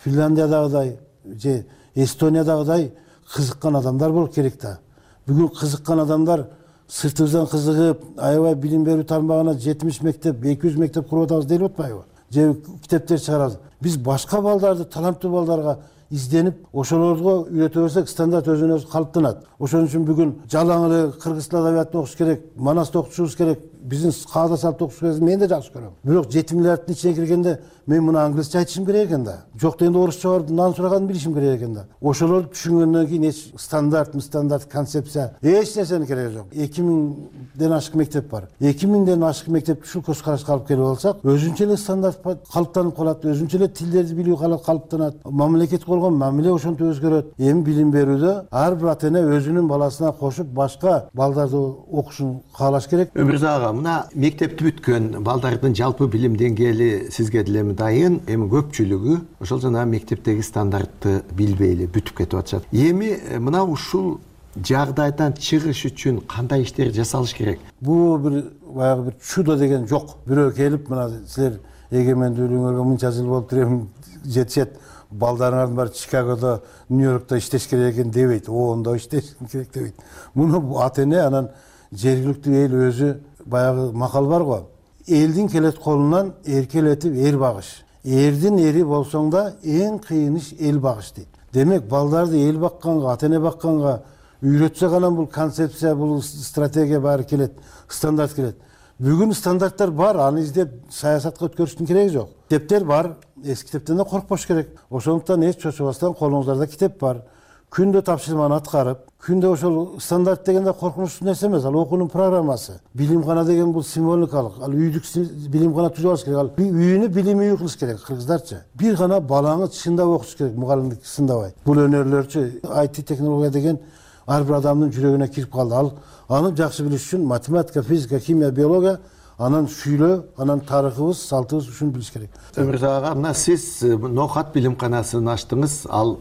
Финляндиядагыдай же Эстониядагыдай кызыккан адамдар болуп керек да. Бүгүн кызыккан адамдар сыртыбыздан кызыгып, аябай билим берүү тармагына жетимиш мектеп, эки жүз мектеп куруп атабыз деп атпайбы? Же китептер чыгарабыз. Биз башка балдарды, таланттуу балдарга изденип, ошолорго үйрөтө берсек, стандарт өзүнөн өзү калыптанат. Ошон үчүн бүгүн жалаң эле кыргыз тил адабиятын окуш керек, Манасты окутушубуз керек, биздин каада салт окуш керек. Мен да жакшы көрөм. Бирок жети миллиарддын ичине киргенде мен муну англисче айтышым керек экен да. Жок дегенде орусча барып нан сураганын билишим керек экен да. Ошолорду түшүнгөндөн кийин эч стандарт, стандарт, концепция эч нерсенин кереги жок. эки миңден ашык мектеп бар. эки миңден ашык мектепти ушул көз карашка алып келип алсак, өзүнчө эле стандарт калыптанып калат, өзүнчө эле тилдерди билүү калыптанат. Мамлекет болгон мамиле ошентип өзгөрөт. Эми билим берүүдө ар бир ата эне өзүнүн баласына кошуп башка балдарды окушун каалаш керек. Өмүрзак ага, мына мектепти бүткөн балдардын жалпы билим деңгээли сизге деле дайын, эми көпчүлүгү ошол жана мектептеги стандартты билбей эле бүтүп кетип атышат. Эми мына ушул жагдайдан чыгыш үчүн кандай иштер жасалыш керек? Бул бир баягы бир чудо деген жок. Бирөө келип, мына силер эгемендүүлүгүңөргө мынча жыл болуп турем, жетишет, балдарыңардын баары Чикагодо, Нью-Йоркто иштеш керек экен дебейт. Оондо иштеш керек дебейт. Муну ата эне анан жергиликтүү эл өзү, баягы макал бар го. Элдин келет колунан эркелетип эр багыш. Эрдин эри болсоң да эң кыйын иш эл багыш дейт. Демек балдарды эл бакканга, ата эне бакканга үйрөтсөк анан бул концепция, бул стратегия баары келет, стандарт келет. Бүгүн стандарттар бар, аны издеп саясатка өткөрүштүн кереги жок. Китептер бар, эски китептен да коркпош керек. Ошондуктан эч чочубастан колуңуздарда китеп бар. Күндө тапшырманы аткарып, күндө ошол стандарт дегенде коркунучсуз нерсе эмес, ал окуунун программасы. Билимкана деген бул символикалык, ал үйдүк билимкана түзүп алыш керек. Ал үйүнү билим үйү кылыш керек кыргыздарча. Бир гана балаңы чындап окутуш керек, мугалимдик сындабай. Бул өнөрлөрчү ай ти технология деген ар бир адамдын жүрөгүнө кирип калды. Ал аны жакшы билиш үчүн математика, физика, химия, биология, анан сүйлөө, анан тарыхыбыз, салтыбыз ушуну билиш керек. Өмүрзак ага, мына сиз Ноохат билимканасын ачтыңыз. Ал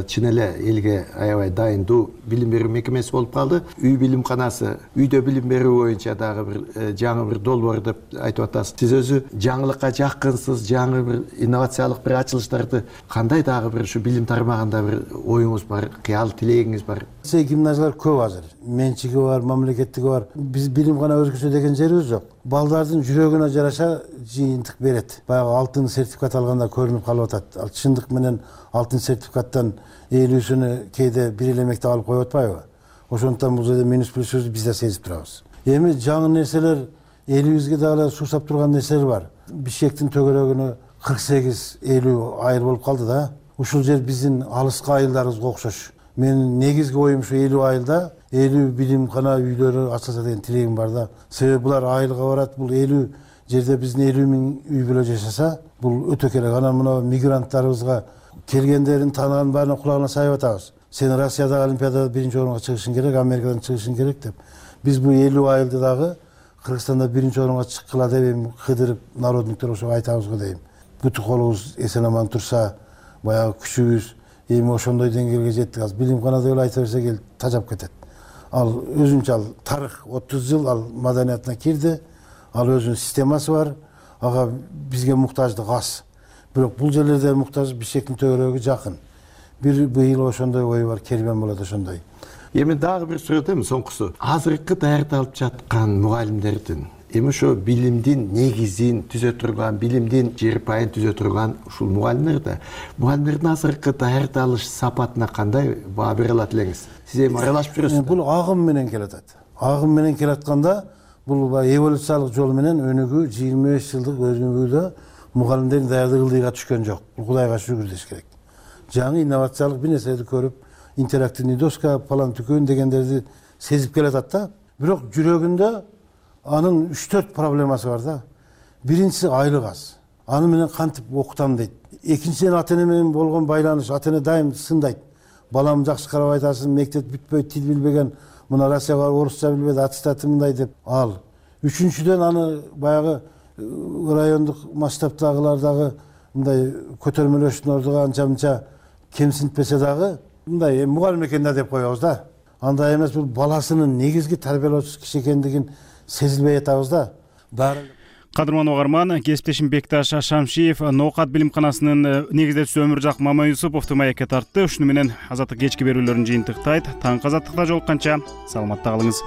чын эле элге аябай дайындуу билим берүү мекемеси болуп калды. Үй билимканасы, үйдө билим берүү боюнча дагы бир жаңы бир долбоор деп айтып атасыз. Сиз өзү жаңылыкка жакынсыз, жаңы бир инновациялык бир ачылыштарды кандай дагы бир ушу билим тармагында бир оюңуз бар, кыял тилегиңиз бар? Гимназиялар көп азыр. Менчиги бар, мамлекеттиги бар. Биз билимкана өзгөчө деген жерибиз жок. Балдардын жүрөгүнө жараша жыйынтык берет. Баягы алтын сертификат алганда көрүнүп калып атат. Ал чындык менен алтын сертификаттан элүүсүнү кээде бир эле мектеп алып коюп атпайбы? Ошондуктан бул жерде минус плюсүбүздү биз да сезип турабыз. Эми жаңы нерселер, элибизге дагы суусап турган нерселер бар. Бишкектин төгөрөгүнө кырк сегиз элүү айыл болуп калды да. Ушул жер биздин алыскы айылдарыбызга окшош. Менин негизги оюм ушу элүү айылда элүү билимкана үйлөрү ачылса деген тилегим бар да. Себеби булар айылга барат, бул элүү жерде биздин элүү миң үй бүлө жашаса, бул өтө керек. Анан мына мигранттарыбызга келгендерин тааныган баарына кулагына сайып атабыз. Сен Россиядагы олимпиадада биринчи орунга чыгышың керек, Америкадан чыгышың керек деп. Биз бул элүү айылды дагы Кыргызстанда биринчи орунга чыккыла деп эми кыдырып народниктер ошого айтабыз го дейм. Бүтү колубуз эсен аман турса, баягы күчүбүз эми ошондой деңгээлге жеттик. Азыр билимкана деп эле айта берсек эл тажап кетет. Ал өзүнчө ал тарых отуз жыл ал маданиятына кирди. Ал өзүнүн системасы бар. Ага бизге муктаждык аз. Бирок бул жерлерде муктаж Бишкектин төгөрөгү жакын. Бир быйыл ошондой ой бар, кермен болот ошондой. Эми дагы бир суроо эми соңкусу. Азыркы даярдалып жаткан мугалимдердин эми ошо билимдин негизин түзө турган, билимдин жер пайын түзө турган ушул мугалимдер да. Мугалимдердин азыркы даярдалыш сапатына кандай баа бере алат элеңиз? Сиз эми аралашып жүрөсүз. Бул агым менен келатат. Агым менен келатканда бул эволюциялык жол менен өнүгүү жыйырма беш жылдык өнүгүүдө мугалимдердин даярдыгы ылдыйга түшкөн жок. Бул Кудайга шүгүр деш керек. Жаңы инновациялык бир нерселерди көрүп, интерактивный доска, палан түкөн дегендерди сезип келатат да. Бирок жүрөгүндө анын үч төрт проблемасы бар да. Биринчиси айлык аз. Аны менен кантип окутам дейт. Экинчиден ата эне менен болгон байланыш, ата эне дайым сындайт. Балам жакшы карап айтасың, мектеп бүтпөйт, тил билбеген, мына Россияга орусча билбеди, аттестаты мындай деп ал. Үчүнчүдөн аны баягы райондук масштабтагылар дагы мындай көтөрмөлөштүн ордуга анча-мынча кемсинтпесе дагы мындай мугалим экен да деп коебуз да. андай эмес, бул баласынын негизги тарбиялоочу киши экендигин сезилбей атабыз да баары. Кадырман угарман, кесиптешим Бекташ Шамшиев Ноокат билимканасынын негиздечиси Өмүржак Мамаюсуповду маекке тартты. Ушуну менен азаттык кечки берүүлөрүн жыйынтыктайт. Таңкы азаттыкта жолукканча саламатта калыңыз.